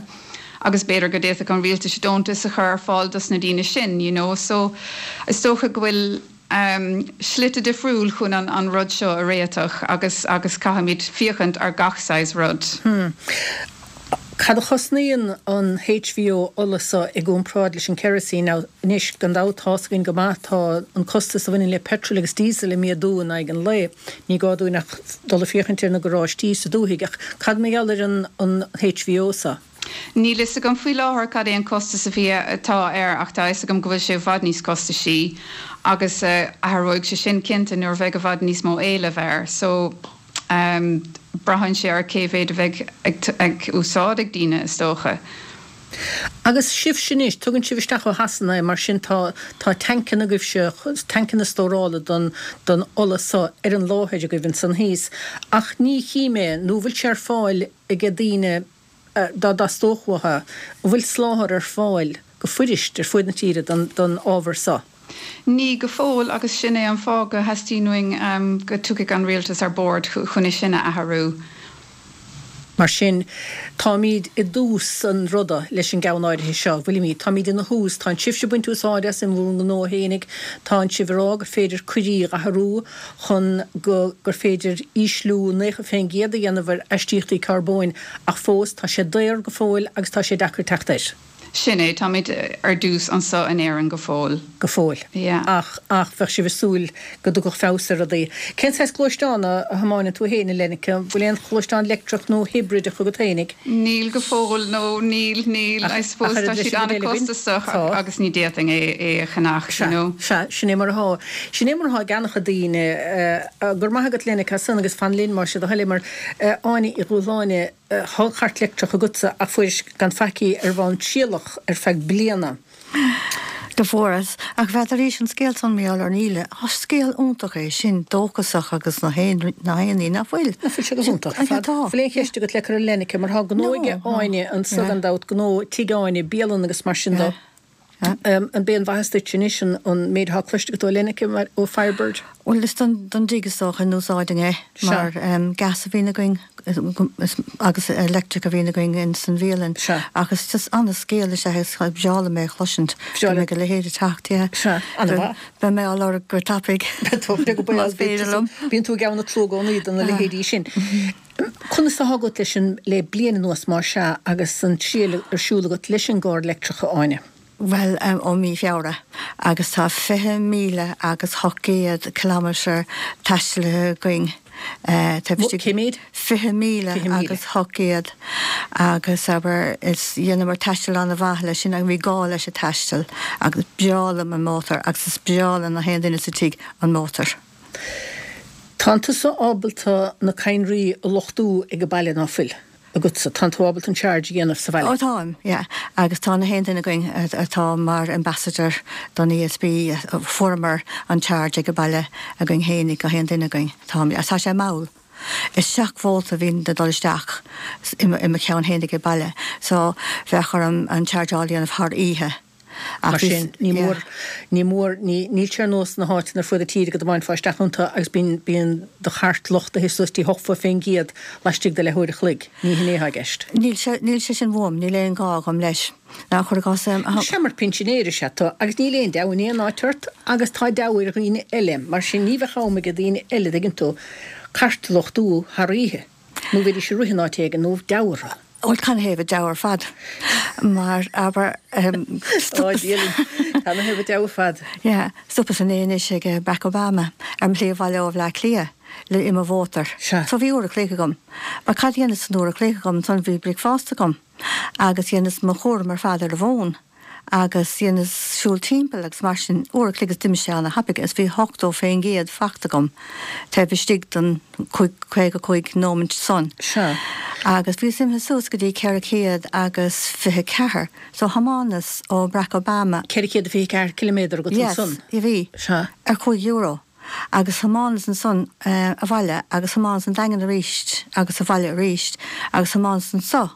agus b'fhéidir go d'fhéadfadh an rialtas deontas a chur ar fáil dos na daoine sin you know so is dócha go bhfuil slite difriúil chun an an rud seo a réiteach agus agus caithfimid féachaint ar gach saghas rud. Hmm. Cad a chosnaíonn an HVO ola so i gcomparáid leis an kerosene? Now, anois, gan dabht, tá's againn go maith, tá an costas a bhaineann le petrol agus diesel ag méadú in aghaidh an lae. Ní gá dúinn ach dul ag féachaint ar na garáistí sa dúthaigh. Ach cad mar gheall ar an an HVO so? Níl fhios agam faoi láthair cad é an costas a bhí, atá air ach tá fhios agam go bhfuil sé i bhfad níos costaisí agus athróidh sé sin cinnte nuair a bheidh i bhfad níos mó éileamh air. So. Braitheann sé ar cé mhéad a bheidh ag úsáid ag daoine, is dócha. Agus sibhse anois, tugann sibh isteach ó Shasana é, mar sin tá, tá tancanna agaibhse, tancanna stórála don, don ola so ar an láthair agaibh ansan thíos. Ach ní chím é, nó bhfuil sé ar fáil aige daoine dá dteastódh uathu, an bhfuil soláthar ar fáil go fuirist ar fuaid na tíre don, don ábhar so? Ní go fóill agus sin é an fáth go theastaíonn uainn go dtiocfaidh an rialtas ar bord chun é sin a athrú. Mar sin, táimíd i dtús an ruda leis an gceann áirithe seo, bhfuilimíd? Táimíd ina thús. Tánn sibhse ag baint úsáide as in bhur ngnó fhéinig, tánn sibh ag rá gur féidir coirí dh'athrú chun go gur féidir ísliú 90% a dhéanamh ar aistíochtaí carbóin ach fós tá sé daor go fóill agus tá sé deacair teacht air. Sin é, táimid ar dtús anso in Éirinn go fóill. Go fóill. Yeah. Ach, ach bheadh sibh ag súil go dtiocfadh feabhas ar rudaí. Cén saghas gluaisteán a thiomáineann tú féin, a Lenneke? An bhfuil aon ghluaisteán leictreach nó hibrideach agat féinig? Níl go fóill, no, níl, níl. I suppose tá siad an-chostasach agus ní d'fhéadfainn é, é a cheannach, you know. Sea, sin é mar atá. Sin é mar atá ag an-chuid daoine. Go raibh maith agat, Lenneke, as san agus fan linn, más é do thoil é, mar Áine Uí Dhúshláine, Tá cairt leictreach agatsa ach fuairis gan faic í ar bhonn trialach ar feadh bliana. Do fuaireas. Ach bhead arís an scéal san mar gheall ar Neil. Tá scéal iontach é sin, dóchasach agus na haon ní ná fuil. Ná fuil sé go hiontach ar fad? Bhfuil aon cheist agat le cur ar Lenneke mar tá gnó aige Áine anso gan dabht, gnó Tigh Áine, bialann agus mar sin do. An b'é an mhaitheas duit anois an méid atá cloiste agat ó Lenneke mar ó Firebird? Bhuel is don don dtigh is dócha a n-úsáideann é mar gas a bhíonn againn agus electric a bhíonn againn in san bhialann. Ach is just an-scéal is ea é is breá liom é a chloisint go mbeidh a leithéid ag teacht yeah. Sea, an-mhaith. Beidh mé á lorg go tapaidh. Beidh tú go Más féidir liom. Bíonn tú ag gabháil na tlú i gcónaí do na leithéidí sin. Conas atá agat leis an, le bliain anuas más ea, agus an triail ar siúl agat leis an gcarr leictreach, a Áine? Bhuel, ó mí Feabhra, agus tá 20,000 agus 800 kilometre taistealaithe againn taobh istigh. Cé méid? 20,000 agus 800 agus abair, is dheineamar taisteal an-mhaith leis sin agus bhí gá leis an taisteal agus breá liom an mótar agus is breá le na haon duine sa tigh an mótar. Tánn tusa ábalta na cadhnraí a luchtú ag an baile ná fuil agatsa? Tánn tú ábalta an charge a dhéanamh sa bhaile? Ó táim, yeah. Agus tá na haon duine againn atá mar ambassador don ESB, fuaireamar an charge ag an baile againn fhéinig, gach aon duine againn. Táim, yeah. Tá sé mall. Is 7 vólta a bhíonn ag dul isteach i mo cheann fhéinig ag baile, so bheadh orm an chargeáil a dhéanamh thar oíche. Mar sin, ní mór, ní mór, ní, níl sé ar nós na háiteanna ar fuaid na tíre go dtiomáinfeá isteach iontu agus bíonn, bíonn do chairt luchtaithe suas dtí 80% laistigh de leathuair a chloig. Ní hin é atá i gceist. Níl sé, níl sé sin uaim, níl aon ghá agam leis. Ná cuir i gcás, a. Sea, mar pinsinéir is ea tú agus níl aon deabhadh in aon áit ort agus tá deabhadh ar dhaoine eile, mar sin ní bheadh am ag daoine eile, dtuigeann tú, cairt a luchtú thar oíche nó bheidís ag rith in áit éigin nó deabhadh orthu. Bhuel, canathaobh a deabhadh ar fad? Mar, abair, stopas. Canathaobh a deabhadh ar fad? Yeah, stopas inné anois ag Barack Obama ar mo shlí abhaile ó Bhleá Cliath le i mo mhótar. Sea. So bhí uair a chloig agam. Mar cad a dhéanas san uair a chloig agam ansan bhí bricfeasta agam agus dhéanas mo chúram ar fad ar an bhfón. agus dheineas siúl timpeall agus mar sin, uair a chloig is d'imigh sé ana thapaidh agus bhí 80% fachta agam taobh istigh den 55 nóimint san. Sea. Agus bhíos imithe suas go dtí 424 so thiomáineas ó Barack Obama. 424 ciliméadar agat Yes, ansan. bhí. Sea. Ar €5. Agus thiomáineas ansan abhaile agus thiomáineas an Daingean aríst agus abhaile aríst agus thiomáineas anso.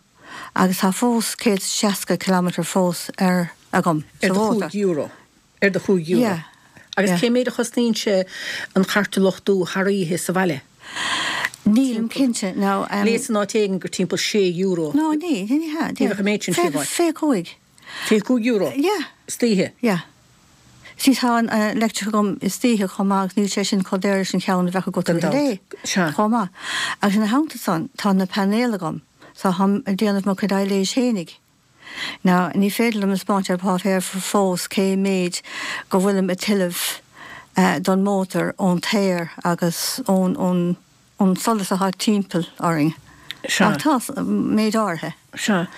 Agus tá fós 160 kilometre fós ar agam sa Ar do mhótar. €5. Ar do €5. Yeah. Agus Yeah. cé méid a chosnaíonn sé an chairt a luchtú thar oíche sa bhaile? Nílim cinnte. Now, um. Léas in áit éigin gur timpeall €6. No, ní, ní hea. Ní bheadh an méid sin fiú amháin. 25. €25? Yeah. Istoíche? Yeah. See, tá an leictreach agam istoíche chomh maith agus níl sé sin chomh daor leis an cheann a bheadh agat Gan i rith an dabht. lae Sea. chomh maith. Agus ina theannta san, tá na painéil agam. So táim ag déanamh mo chuid aibhléis fhéinig. Now, ní féidir liom a 'speáint ar pháipéar fós cé méid go bhfuilim ag tuilleamh don mótar ón t-aer agus ón, ón, ón solas atá timpeall orainn. Ach tá, méid áirithe. Sea.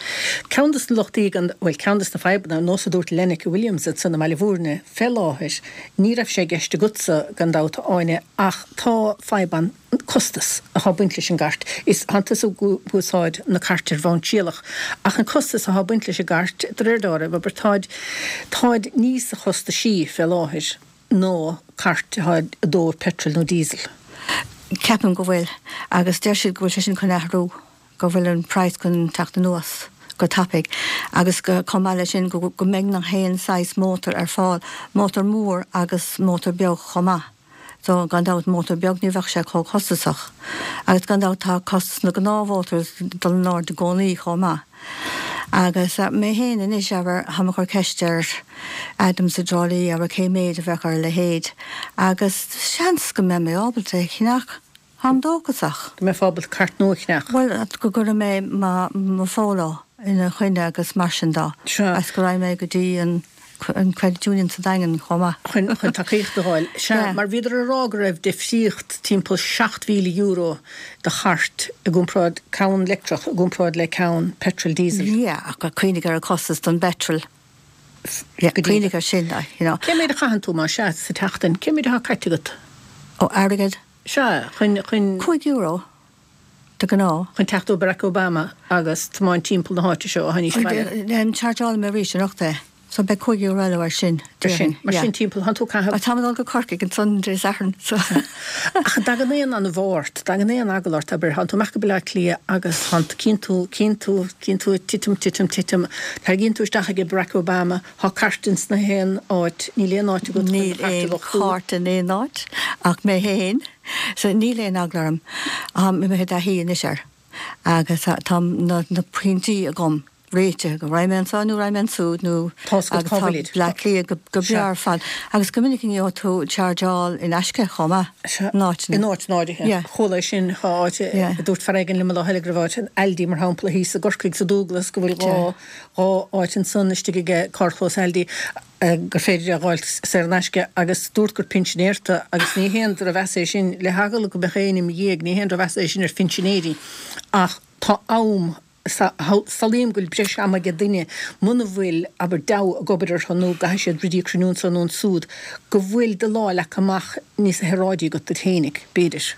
Ceann des na lochtaí gan, bhuel, ceann des na fadhbanna, ar nós a dúirt Lenneke Williams ansan i mBaile Bhúirne, fé láthair, ní raibh sé i gceist agatsa, gan dabht, a Áine, ach tá fadhb ann, costas athá ag baint leis an gcairt. Is thánn tusa ag úsáid na cairte ar bhonn trialach, ach an costas athá ag baint leis an gcairt, de réir dealraimh, abair, táid, táid níosa chostaisí fé láthair ná cairt athá ag dó petrol nó diesel. Ceapaim go bhfuil, agus deir siad go bhfuil sé sin chun athrú. go bhfuil an praghas chun teacht anuas go tapaidh agus go, chomh maith leis sin, go mbeidh na haon saghas mótar ar fáil, mótar mór agus mótar beag chomh maith. So, gan dabht, mótar beag ní bheadh sé chomh costasach. Agus gan dabht tá costas na gnáthmhótar ag dul in airde i gcónaí chomh maith. Agus mé féin anois, abair, táim ag cur ceist ar Adam sa dTrá Lí, abair, cé méid a bheadh ar a leithéid agus seans go mbeidh mé ábalta é a cheannach. Táim dóchasach. Go mbeifeá ábalta cairt nua a cheannach. Bhuel, go gcuirfidh mé mo Pholo ina choinne agus mar sin de. Sea. Agus go raghaidh mé go dtí an Credit Union sa Daingean chomh maith. Chun tacaíocht a fháil. Sea, mar bhíodar ag rá go raibh difríocht timpeall €7,000 do chairt i gcomparáid, ceann leictreach i gcomparáid le ceann petrol diesel. Yeah, ach cuimhnigh ar an costas don bpetrol. Yeah, cuimhnigh ar sin, you know. Cé méid a chaitheann tú, más ea, sa tseachtain? Cé méid atá caite agat? Ó, airgead? Sea, chun, chun. €5, de ghnáth. Chun teacht ó Barack Obama agus tiomáint timpeall na háite seo ó shoin sa bhaile. Chargeálaim arís anocht é, so beidh €5 eile air sin, déarfainn. Sin, mar sin timpeall, thánn tú ag caitheamh. Táim ag dul go Corcaigh ansan Dé Sathairn, so. Ach an dtagann aon anbhá ort, dtagann aon eagla ort, abair, thánn tú amach go Baile Átha Cliath agus thánn, cíonn tú, cíonn tú, cíonn tú ag titim, titim, titim, tarraingíonn tú isteach ag Barack Obama, Thá cairt ins na haon áit. Níl aon áit agat chun do chairt a Níl aon luchtú. chairt in aon áit ach mé fhéin. So níl aon eagla orm. Táim imithe i dtaithí anois air agus tá na na pointí agam réitithe go raghaidh mé anso nó raghaidh mé ansúd nó Tá's agat agus cá tá bhfuilid. Bleá Cliath go go breá Sea. ar fad agus go minic gheobhaidh tú chargeáil in aisce chomh maith Sea. in áiteanna. In áiteanna áirithe. Yeah. Chuala é sin, thá áit, Yeah. a dúirt fear éigin liom an lá eile go raibh áit in Aldi mar shampla thíos i gCorcaigh sa Dúglas go bhfuil Sea. 2 2 áit ansan istigh aige carrchlós Aldi gur féidir é a dh'fháilt saor in aisce agus dúirt gur pinsinéir tú agus ní haon drochmheas é sin le heagla go mbeadh éinne im dhiaidh, ní haon drochmheas é sin ar phinsinéirí ach tá am, samhlaím go bhfuil breis ama ag duine muna bhfuil, abair, deabhadh ag obair orthu nó go gcaithfidh siad rudaí a chruinniú anso nó ansúd, go bhfuil do lá leagtha amach níos shaoráidí agat duit fhéinig, b'fhéidir.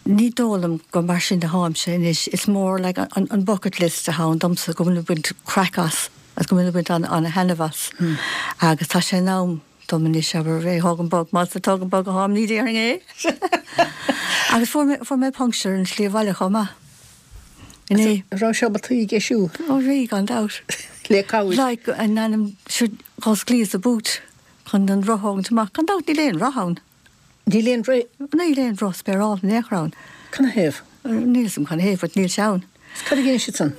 Ní dóigh liom gur mar sin atáimse anois. Is mór like an bucket list atá ann domsa go bhfuil ag baint craic as agus go bhfuil ag baint an-thaitneamh as. Agus tá sé in am dom anois abair é a thógaint bog, más ag tógaint bog atáim ní déarfainn é! Agus fuair mé fuair mé puncture ar an tslí abhaile chomh maith. Inné. An raibh sé ábalta í a dheisiú? Ó bhí, gan dabht. Le cabhair. Like in ainm dh'osclaíos an boot chun an roth a thógaint amach. Gan dabht níl aon roth ann. Níl aon roth. Níl aon roth spéaráilte in aon chor ann. Canathaobh? Níl 'fhios a'm canathaobh, but níl sé ann. Is cad a dhein siad san?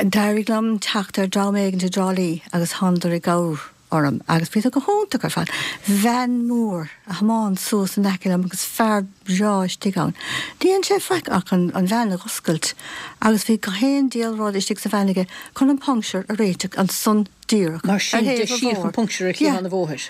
D'éirigh liom teacht ar dream éigin i dTrá Lí agus thánadar i gcabhair orm agus bhíodar go hiontach ar fad. Veain mhór a thiomáin suas in aice liom agus fear breá istigh ann. Ní dhein sé faic ach an veain a dh'oscailt agus bhí gach aon diabhal rud istigh sa veain aige chun an puncture a réiteach ansan díreach Mar sin, ar thaobh an deisíodh an bhóthair. puncture ar Yeah. chliathán an bhóthair.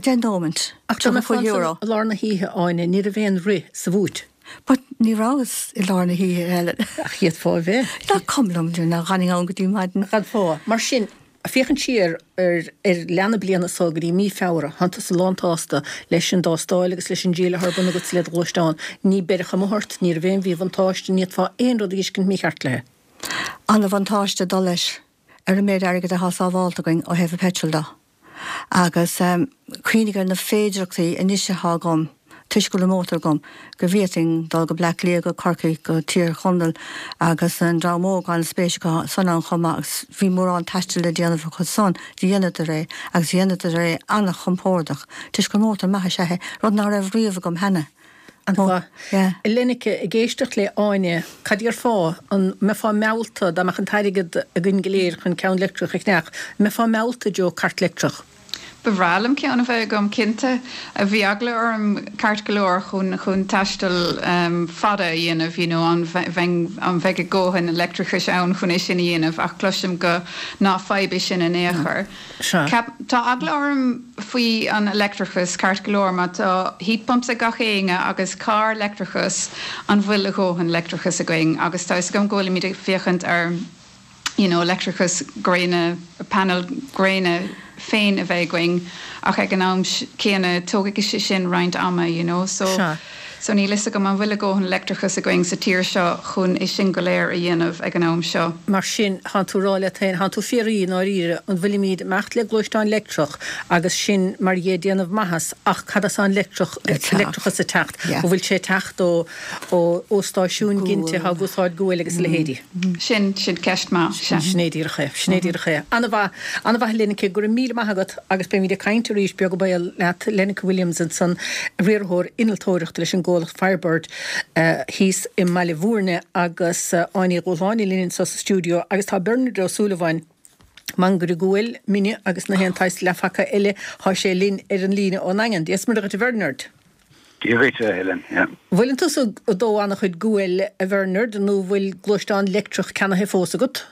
10 nóimint. Ach dá mbeifeá €35. ansan i lár na hoíche, Áine, ní raibh aon rith sa bhúit. But ní rabhas i lár na hoíche, Helen. Ach d'fhéadfá a bheith. Nach cuma liom, nach bhfanfainn ann go dtí maidin. D'fhéadfá. Mar sin, féachaint siar ar ar leath na bliana so go dtí mí Feabhra, thánn tusa lántshásta leis an dtástáil agus leis an dtriail atá ar bun agat le do ghluaisteán. Ní beireadh amuigh ort, ní raibh aon mhíbhuntáiste, ní fhéadfá aon rud a dh'fheiscint mícheart léi. Ana-bhuntáiste dul leis ar an méid airgid atá sábhálta againn ó thaobh an peitril de. Agus cuimhnigh ar na féidireachtaí anois atá agam, toisc go bhfuil an mótar agam, go bhféadfainn dul go Bleá Cliath, go Corcaigh, go Tír Chonaill agus an dream óg an-spéis acu san ann chomh maith agus bhí mórán taistil le déanamh acu san, dheineadar é agus dheineadar é an-chompordach toisc gur mótar maith is ea é, rud ná raibh riamh agam cheana. An-mhaith. Yeah. Lenneke, ag éisteacht le Áine, cad déarfá, an mbeifeá meallta, dá mbeadh an t-airgead againn go léir chun ceann leictreach a cheannach, an mbeifeá meallta i dtreo cairt leictreach? Ba bhreá liom ceann a bheith agam, cinnte. Bhí eagla orm ceart go leor chun chun taisteal fada a dhéanamh, you know, an bheinn, an mbeidh a dhóthain leictreachais ann chun é sin a dhéanamh ach cloisim go ná fadhb é sin in aon chor. Ceap, tá eagla orm faoi an leictreachas ceart go leor, má tá heat pumps ag gach éinne agus carr leictreachas, an bhfuil a dhóthain leictreachas againn? Agus tá fhios agam go bhfuilimid ag féachaint ar. you know leictreachas gréine, painéil gréine féin a bheith againn ach ag an am céanna tógfaidh sé sin roinnt ama you know so Sea. so níl fhios agam an bhfuil a dhóthain leictreachas againn sa tír seo chun é sin go léir a dhéanamh ag an am seo. Mar sin, thánn tú ag rá leat féin, thánn tú ag fiafraí i ndáiríre, an bhfuilimíd ag imeacht le gluaisteán leictreach agus sin mar dhea ag déanamh maitheas ach cad as an leictreach, leictreachas ag teacht? An bhfuil sé ag teacht ó ó stáisiúin ginte atá ag úsáid guail agus a leithéidí? Sin, sin ceist maith, sea. Sin é díreach é. Sin é díreach é. An-mhaith, an-mhaith a Lenneke, go raibh míle maith agat agus beimid ag caint arís beag beann leat, Lenneke Williams ansan, riarthóir innealtóireachta leis an gcomhlacht Firebird thíos i mBaile Bhúirne agus Áine Ní Dhúshláine linn anseo sa stiúideo agus tá Bernard Ó Súilleabháin, mangaire guail, mine agus na haon tsaghas leathphaca eile, tá sé linn ar an líne ón nDaingean. Dia is Muire dhuit a Bhernard. Dia dhuit, a Helen. Yeah. Bhfuileann tusa ag dó an-chuid guail, a Bhernard, nó bhfuil gluaisteán leictreach ceannaithe fós agat?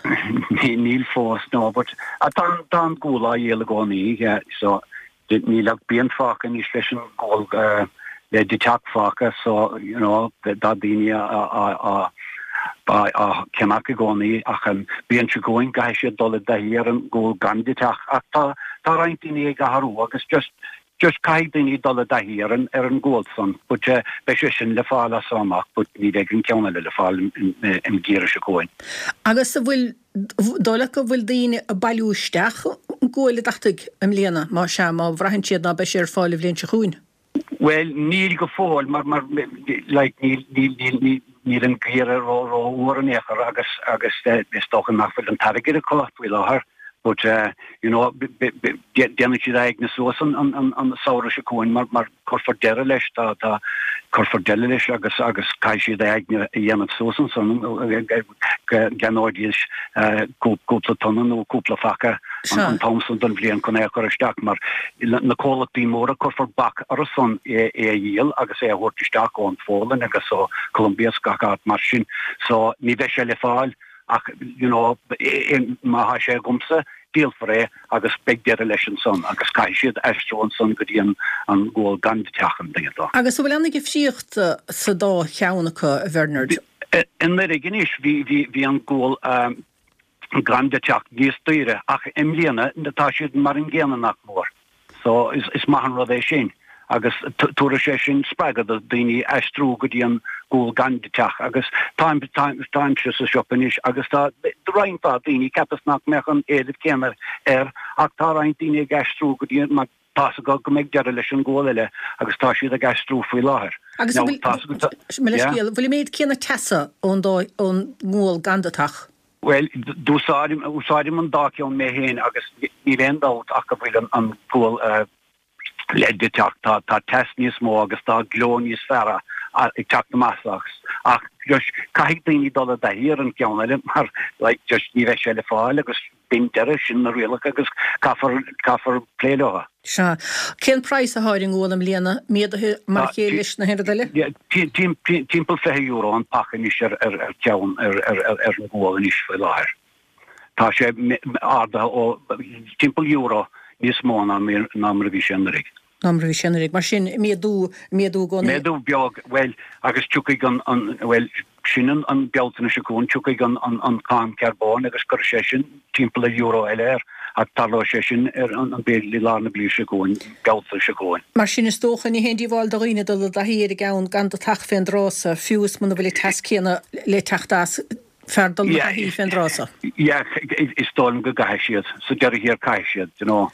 Níl fós, no, but tá an gual á dhíol i gcónaí, yeah, so níl ach bliain fágtha anois leis an gual le deatach fágtha, so, you know, tá daoine á á cheannach i gcónaí ach an bhliain seo chugainn caithfidh siad dul i dtaithí ar an ghual gan deatach ach tá tá roinnt daoine ag athrú agus just Just caithfidh daoine dul i dtaithí ar an ar an ghual san but beidh sé sin le fáil as seo amach but ní bheidh an ceann eile le fáil an geimhreadh seo chugainn. Agus an bhfuil, dóigh leat go bhfuil daoine ag bailiú isteach an gual deataigh i mbliana, má sea, má bhraitheann siad ná beidh sé ar fáil an bhliain seo chugainn? Bhuel níl go fóill mar mar like níl níl níl níl níl an geimhreadh ró ró fhuar in aon chor agus agus is dócha nach bhfuil an t-airgead acu faoi láthair. But you know déanfaidh siad a aigne suas an samhradh seo chugainn mar mar cuirfear deireadh leis tá tá cuirfear deireadh leis agus agus caithfidh siad a aigne a dhéanamh suas ansan go gceannóidís cúpla tonna nó cúpla phaca an t-am san den bhliain chun é a chur isteach mar na comhlachtaí móra cuirfear bac orthu san é a dhíol agus é a thabhairt isteach ón Pholainn agus ó Colombia is gach áit mar sin so ní bheidh sé le fáil Ach, you know, má thá sé agamsa, díolfar é agus beidh deireadh leis ansan agus caithfidh siad aistriú ansan go dtí an gual gan deatach an dtuigeann tú. Agus an bhfuil aon dhifríocht sa dá cheann acu, a Bhernard? Anuraidh anois bhí, bhí, bhí an gual gan deatach níos daoire ach i mbliana tá siad mar an gcéanna nach mór. So is maith an rud é sin agus tabharfaidh sé sin spreagadh do daoine aistriú go dtí an gual gan deatach agus táim táimse sa siopa anois agus tá roinnt mhaith daoine, cheapas nach mbeadh an éileamh céanna air ach tá roinnt daoine ag aistriú go dtí mar tá's acu go mbeidh deireadh leis an gual eile agus tá siad ag aistriú faoi láthair. Agus an bhfuil, mo leithscéal, bhfuil an méid céanna teasa ón dá, ón ngual gan deatach? Bhuel, d'úsáidim, úsáidim an dá cheann mé féin agus níl aon dabht ach go bhfuil an gual le deatach, tá, tá teas níos mó agus tá gleo níos fearr ag teacht amach as ach just caithfidh daoine dul i dtaithí ar an gceann eile mar like just ní bheidh sé le fáil agus b'in deireadh, sin na rialacha agus caithfear, caithfear plé leo. Sea. Cén praghas athá ar an ngual i mbliana, méadaithe mar a chéile leis na haon rud eile? Timpeall €20 an paca anois ar cheann ar an gual anois faoi láthair. Tá sé ardaithe ó timpeall euro níos mó ná mar a bhí sé anuraidh. Ná mar a bhí sé anuraidh. Mar sin, méadú, méadú i gcónaí. Méadú beag, bhuel, agus tiocfaidh an, bhuel, Sin an Bealtaine seo chugainn, tiocfaidh an cáin carbóin agus cuirfidh sé sin timpeall ar euro eile air, ach tarlóidh sé sin ar an b'fhéidir i lár na bliana seo chugainn, Bealtaine seo chugainn. Mar sin, is dócha, ní haon díobháil do dhaoine dul i dtaithí ar an gceann gan deatach fén dtráth so, fiú is muna bhfuil an teas céanna le teacht as, b'fhearr dul ina thaithí fén dtráth so. Yeah, is dóigh liom go gcaithfidh siad. Sa deireadh thiar caithfidh siad, you know.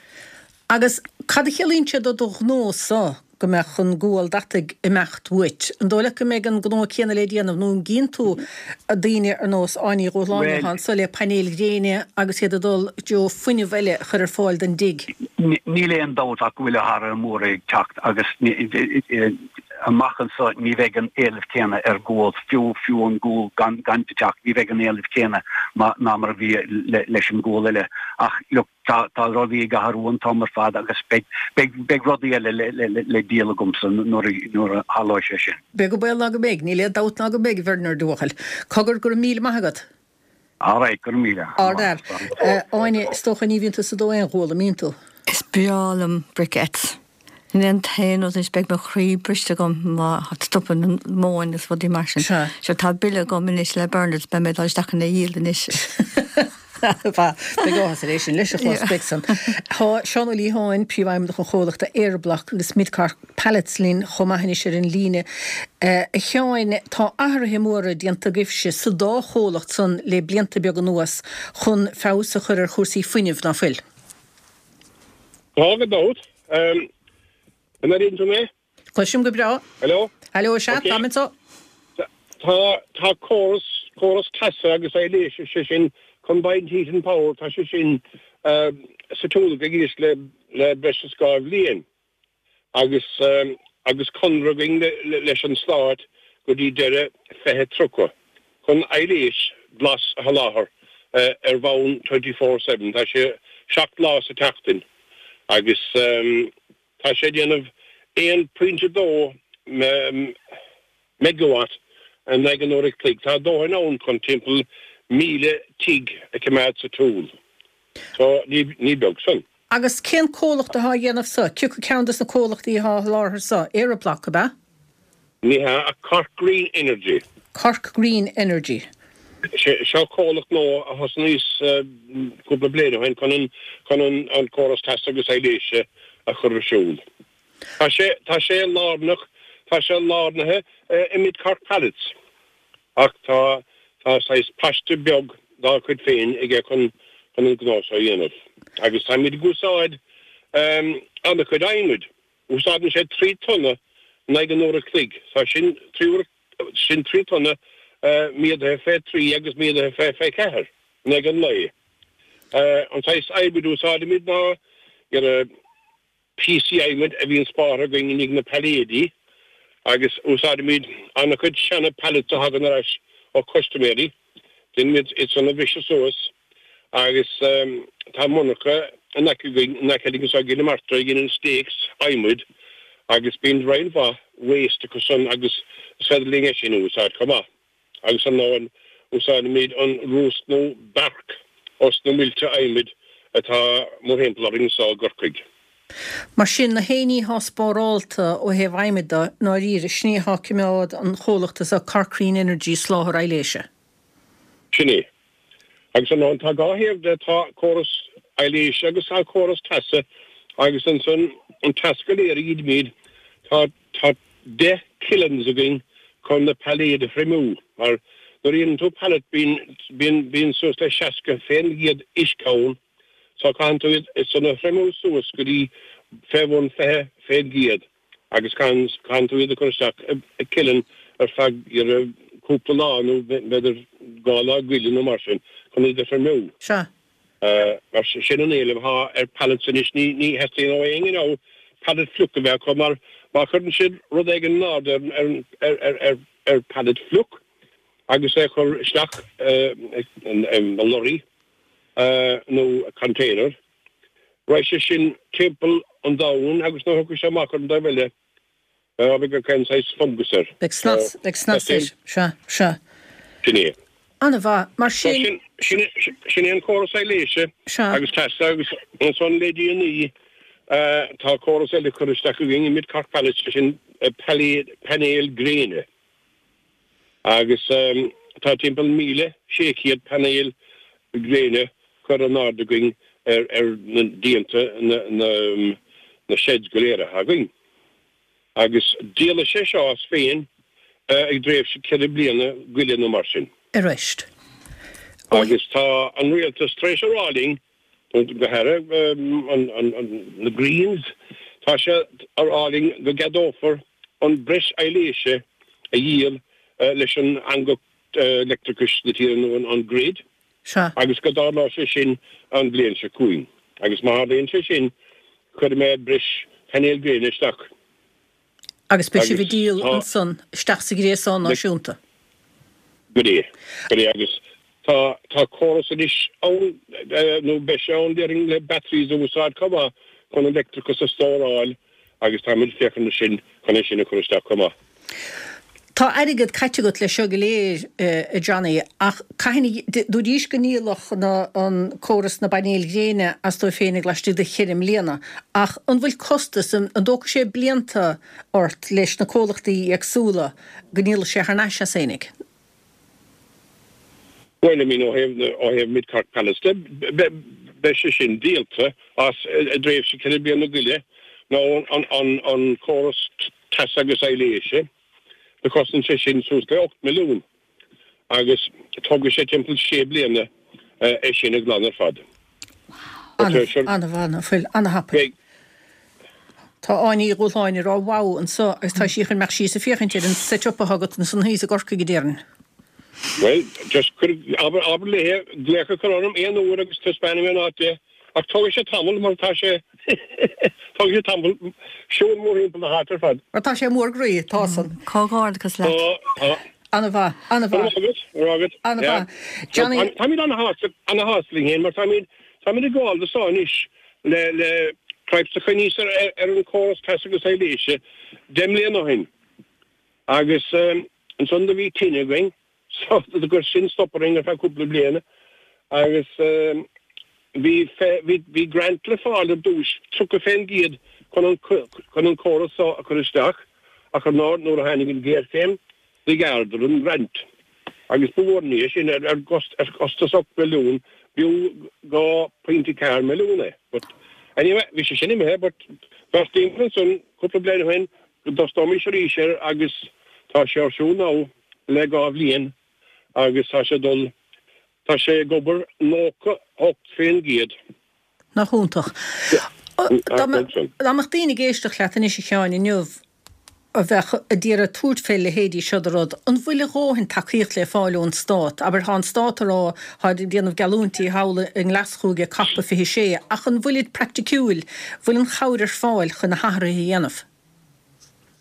Agus cad a chiallaíonn sé do do ghnó-sa go mbeadh an gual deataigh ag imeacht uait? An dóigh leat go mbeidh an gnó céanna le déanamh nó an gcíonn tú daoine ar nós Áine Ní Dhúshláine atá anso le painéil ghréine agus iad ag dul i dtreo fuinneamh eile a chur ar fáil don dtigh? Níl aon dabht ach go bhfuil athruithe móra ag teacht agus. Amach anso ní bheidh an éileamh céanna ar ghual, fiú fiú an gual gan gan teacht, ní bheidh an éileamh céanna ná mar a bhí leis an gual eile. Ach look, tá tá rudaí ag athrú an t-am ar fad agus beidh beidh beidh rudaí eile le le le díol agamsa nuair a nuair a tharlóidh sé sin. Beag an baol ná go mbeidh, níl aon dabht ná go mbeidh, a Bhernard, a bhuachaill. Cogar, go raibh míle maith agat. Alright, go raibh míle. Ard-fhear. Áine, is dócha ní bhíonn tusa ag dó aon ghual, an mbíonn tú? Is breá liom briquettes. Sin é an t-aon rud anois, beidh mo chroí briste agam má stopann an mhóin is rudaí mar sin. Sea. Sure, tá bille agam anois le Bernards, beidh mé ag dul isteach chun é a dhíol anois. Beidh áthas air é sin leis a chlos, beidh san. Tá Seán Ó Liatháin, Príomhfheidhmeannach an chomhlachta Eirbloc agus Mid-Cork Pallets linn chomh maith anois ar an líne. A Sheáin, tá athruithe móra déanta agaibhse sa dá chomhlacht san le blianta beaga anuas chun feabhas a chur ar chúrsaí fuinnimh, ná fuil? Tá, gan dabht. An airíonn tú mé? Cloisim go breá. Hello? Hello, sea, Ok. táim anseo. Tá, tá córas, córas teasa agus aibhléise, sé sin combined heat and power, tá sé sin sa tsiúl againn anois le, le breis is 2 bhliain agus, agus conradh againn le, leis an Stát go dtí deireadh 2030 chun aibhléis glas a sholáthar ar bhonn 24/7. Tá sé 7 lá sa tseachtain agus. Tá sé ag déanamh 1.2 megawatt in aghaidh an uair a chloig. Tá dóthain ann chun timpeall 1,000 tigh a choimeád sa tsiúl. So, ní beag san. Agus cén comhlacht atá á dhéanamh so? Cioca ceann des na comhlachtaí atá á sholáthar so? Eirbloc, ab ea? Ní hea, ach Cork Green Energy. Cork Green Energy. Seo comhlacht nua a thosnaíos cúpla bliain ó shin chun an chun an córas teasa agus aibhléise a chur ar siúl. Tá sé tá sé lárnach tá sé lárnaithe i Mid Cork Pallets ach tá tá saghas paiste beag dá chuid féin aige chun chun an gnó seo a dhéanamh. Agus táimid ag úsáid an-chuid adhmaid. Úsáideann sé 3 tonna in aghaidh an uair a chloig. Tá sin 3 uair, sin 3 tonna méadaithe fé 3 agus méadaithe fé 4 in aghaidh an lae. An saghas adhmaid a úsáidimid ná píosaí adhmaid a bhíonn spártha againn i ndiaidh na pailléidí agus úsáidimid an-chuid seana pallets a thagann ar ais ó chustaiméirí. Déanaimid iad san a bhriseadh suas agus tá monarcha in aice againn, in aice linn anseo i gCill na Martra a dhéanann stakes adhmaid agus bíonn roinnt mhaith waste acu san agus is féidir linn é sin a úsáid chomh maith. Agus ar ndóigh úsáidimid an rúsc nó bark os na muilte adhmaid atá mórthimpeall orainn anseo i gCorcaigh. Mar sin, na haon ní atá spárálta ó thaobh adhmaid de, i ndáiríre, sin é atá ag coimeád an chomhlachta so, Cork Green Energy, soláthar aibhléise. Sin é. Agus ar ndóigh, tá dhá thaobh de, tá córas aibhléise agus tá córas teasa agus ansan an teas go léir a ghinimid, tá, tá 10 kilns againn chun na pailléid a thriomú mar nuair a dhéanann tú pallet bíonn, bíonn, bíonn suas le 60% uisce ann. So caitheann tú iad san a thriomú suas go dtí fé bhun 20% agus caitheann, caitheann tú iad a chur isteach i kiln ar feadh cúpla lá nó b'fhéidir dhá lá goile nó mar sin chun iad a thriomú. Sea. Mar sin an éileamh atá ar pallets anois, ní, ní theastaíonn ó éinne now pallet fliuch a bheith acu mar má chuireann siad rud éigin in airde ar, ar, ar, ar, ar pallet fliuch agus é a chur isteach i lorry, nó container. Raghaidh sé sin timpeall an domhain agus nuair a thiocfaidh sé amach ar an dtaobh eile, beidh gach aon saghas fungus air. Beidh snas, beidh snas air. Sea, sea. Sin é. An-mhaith. Mar sin. Sin, sin é an córas aibhléise agus teasa agus ansan le déanaí tá córas eile curtha isteach againn i Mid Cork Pallets, sé sin painéil gréine. Agus tá timpeall 1,600 painéal gréine curtha in airde againn ar na díonta na sheds go léir atá againn. Agus díolfaidh sé seo as féin i dtréimhse ceithre bliana goile nó mar sin. Arís. Agus tá an rialtas tar éis a rá linn go háirithe na Greens, tá sé a rá linn go gceadófar an breis aibhléise a dhíol leis an eangach leictreachais na tíre nó an grid agus go dtarlóidh sé sin an bhliain seo chugainn. Agus má tharlaíonn sé sin, cuirfidh mé breis painéil gréine isteach. Agus beidh sibh ag díol ansan isteach sa ghréasán náisiúnta. Go é, go é agus tá tá córas anois ann nó beidh sé ann déarfainn le batteries a úsáid chomh maith chun an leictreachas a stóráil agus táimid ag féachaint air sin chun é sin a chur isteach chomh maith. Tá airgead caite agat leis seo go léir, a Johnny, ach cathain a, dúraís go ndíolfadh na, an córas na bpainéil ghréine as dóibh féinig laistigh de cheithre mbliana, ach an bhfuil costas, an dtógfaidh sé blianta ort leis na comhlachtaí éagsúla go ndíolfaidh sé thar n-ais as féinig? Bhuel, I mean, ó thaobh, ó thaobh Mid Cork Pallets de, beidh sé sin díolta as i dtréimhse ceithre bliana go leith, nó an, an, an córas teasa agus aibhléise, do chosain sé sin suas le 8 milliún agus tógfaidh sé timpeall sé bliana é sin a ghlanadh ar fad. An-mhaith, ná fuil? An-thapaidh. Tá Áine Uí Dhúshláin ag rá wow anso agus tá sí chun imeacht síos ag féachaint ar an set up atá agat ansan thíos i gCorcaigh, a déarfainn. Bhuel, just cuir, abair, abair léithe glaoch a chur orm aon uair agus taispeánfaidh mé an áit di. Ach tógfaidh sé tamall mar tá sé, tógfaidh sé tamall siúl mórthimpeall na háite ar fad. Mar tá sé mór groí, tá san. Comhghairdeachas leat. Tá, tá. An-mhaith, an-mhaith. Go raibh maith agat, go raibh agat. An-mhaith. Johnny. Táimid an-shásta, an-shásta linn féin mar táimid, táimid ag gabháil do seo anois le, le cripes a choinníos ar, ar an córas teasa agus aibhléise 10 mbliana ó shin. Agus ansan do bhí tine againn so do chuir sin stop orainn ar feadh cúpla bliana agus bhí bhí bhí grant le fáil ar dtúis, 30% chun an chun an córas so a chur isteach ach ar ndóigh nuair a tháinig an ghéarchéim do ghearradar an grant agus ba mhór an ní é sin ar ar chostas 8 milliún b'fhiú 2.4 milliún é but anyway bhí sé sin imithe but bheartaíomar ansan cúpla bliain ó shin go dtosnóimis arís air agus tá sé ar siúl now le 2 bhliain agus tá sé dul, tá sé ag obair 98%. Nach iontach. Dá mbeadh daoine ag éisteacht leat anois a Sheáin inniu a bheadh a d'iarraidh tabhairt fé leithéidí seo de rud, an bhfuil a dhóthain tacaíocht le fáil ón Stát? Abair, tá an Stát ag rá, tá ag déanamh geallúintí thall i nGlaschú ag Cop 26, ach an bhfuilid praiticiúil, bhfuil an chabhair ar fáil chun na hathruithe a dhéanamh?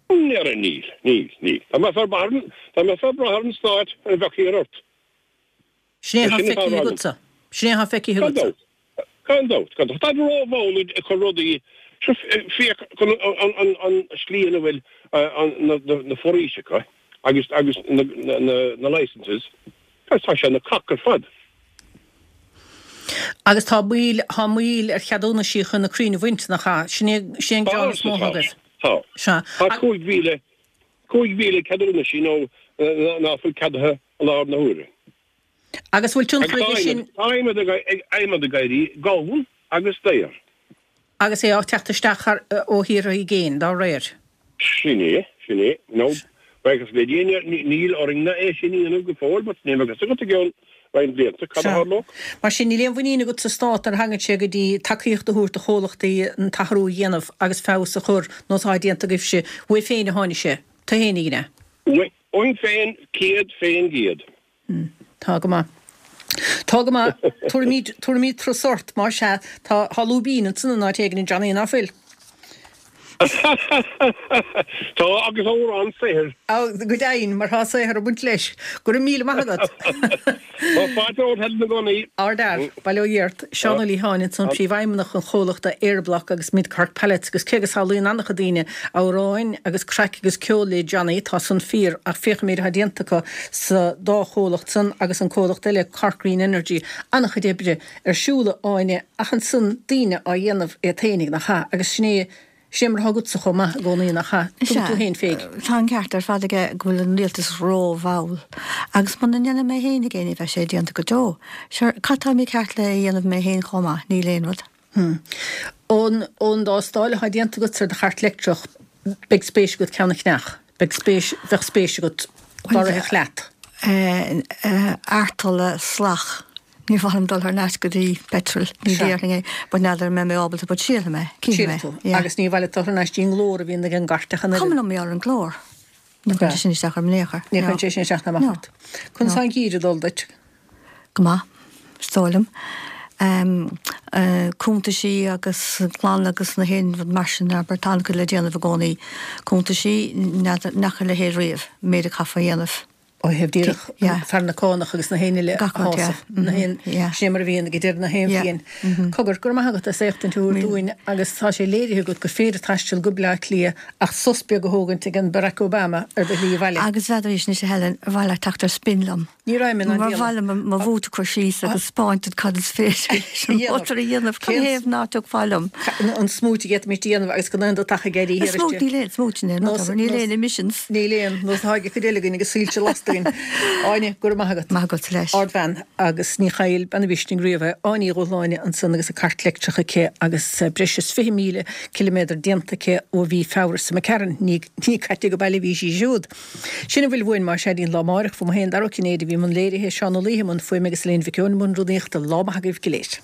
Níl, níl, níl. Dá mbeifeá ag brath ar an Stát, bheadh thiar ort. Sin é atá feicthe agatsa. Sin é atá feicthe agatsa. Gan dabht, gan dabht. Táid rómhall ag cur rudaí, féach chun an slí ina bhfuil na foraoiseacha agus agus na licences, tá sé ina cac ar fad. Agus tá moill, tá moill ar cheadúnaisí chun na crainn a bhaint, nach ea? Sin é, sin é an gearán is mó atá agaibh. Tá. Sea. Tá 5,000, 5,000 ceadúnaisí nó ná fuil ceadaithe i láthair na huaire. Agus bhfuil tionchar aige sin. Tá adhmad ag éirí gann agus daor. Agus é á teacht isteach thar ó thíortha i gcéin dá réir. Sin é, sin é. Nó, buíochas le Dia, níl orainn-ne é sin a dhéanamh go fóill, but ní bheadh a fhios agat i gceann roinnt blianta cad a tharlódh. Mar sin, níl aon mhuinín agat sa Stát nuair a thagann sé go dtí tacaíocht a thabhairt do chomhlachtaí an t-athrú a dhéanamh agus feabhas a chur, nós atá déanta agaibhse. Uaibh féin a tháinig sé. Tú fhéinig, an ea? Uaim féin, 100%. Tá go maith. Tá go maith. Tabharfaimid, tabharfaimid turas ort, más ea. Tá, tá lúibín ansan in áit éigin, a Johnny, ná fuil? Tá, agus amhrán saothair. Á, go deimhin, mar tá saothar ag baint leis. Go raibh míle maith agat. Tá fáilte romhat, Helen, i gcónaí. Ardfhear, bail ó Dhia ort. Seán Ó Liatháin ansan, Príomhfheidhmeannach an chomhlachta Eirbloc agus Mid Cork Pallets agus cé go samhlaíonn an-chuid daoine amhráin agus craic agus ceol le Johnny, tá san fíor ach féach an méid atá déanta acu sa dá chomhlacht san agus an comhlacht eile Cork Green Energy, an-chuid oibre ar siúl a Áine ach ansan daoine á dhéanamh iad fhéinig nach ea agus sin é Sin é mar atá agatsa chomh maith i gcónaí, nach ea? Tugann tú féin féig. Tá an ceart ar fad aige go bhfuil an rialtas rómhall. Agus muna ndéanfaidh mé féinig é ní bheidh sé déanta go deo. Sure, cad tá mícheart le a dhéanamh mé féin chomh maith? Níl aon rud. Ón ón dtástáil atá déanta agatsa ar do chairt leictreach, beidh spéis agat ceann a cheannach. Beidh spéis, bheadh spéis agat dá rithfeadh leat. Artola salach. Ní mhaith liom dul thar n-ais go dtí petrol. Ní déarfainn é, but n'fheadar an mbeidh mé ábalta, but sílfidh mé, cífidh mé. Sílfidh tú. Agus ní mhaith leat dul thar n-ais dtí an nglór a bhíonn ag an gcairt ach an oiread. Cuma liom ar an nglór. Ní chuireann sé sin isteach orm in aon chor. Ní chuireann sé sin isteach ná amach ort. Conas tá an geimhreadh ag dul duit? Go maith, is dóigh liom. Cuntaisí agus clann agus na haon rud mar sin, abair, tá an-chuid le déanamh i gcónaí. Cuntaisí, n'fheadar, n'fheaca a leithéid riamh, méid a chaithfeá a dhéanamh. Ó thaobh díreach fear na cánach agus na haon uile a shásamh, na haon, sin é mar a bhíonn ag deireadh na haon bhliain. Cogar, go raibh maith agat as éachtaint a thabhairt dúinn agus tá sé léirithe agat gur féidir taisteal go Bleá Cliath ach sos beag a thógaint ag an Barack Obama ar do shlí abhaile. Agus n'fheadar anois a Helen, ar mhaith leat teacht ar spin liom? Ní raibh mé in ann Mar mhaith liom mo bhút a chur síos agus 'spáint duit cad is féidir leis an mótar a dhéanamh. Cad ina thaobh ná tiocfá liom? An smúit a d'fhéadfaimis a dhéanamh agus gan aon deatach ag éirí thiar istigh. Smúit, níl aon smúit in aon rud, níl aon emissions. Níl aon, nó tá ag cuid eile againn agus soilse lasta againn. Áine, go raibh maith agat. Maith agat leis. Ardbhean agus ní chaill bean an mhisnigh riamh é. Áine Uí Dhubhshláine ansan agus a cairt leictreach aici agus breis is 20,000 ciliméadar déanta aici ó mhí Feabhra seo imigh tharainn. Ní caite go baile a bhí sí siúd. Sin a bhfuil uainn más ea go dtí an lá amáireach. Fúm féin, Dara Ó Cinnéide, a bhí i mbun léirithe, Seán Ó Laoithe i mbun fuaime agus Elaine Mhic Eoin i mbun rúnaíochta. Lá maith agaibh go léir.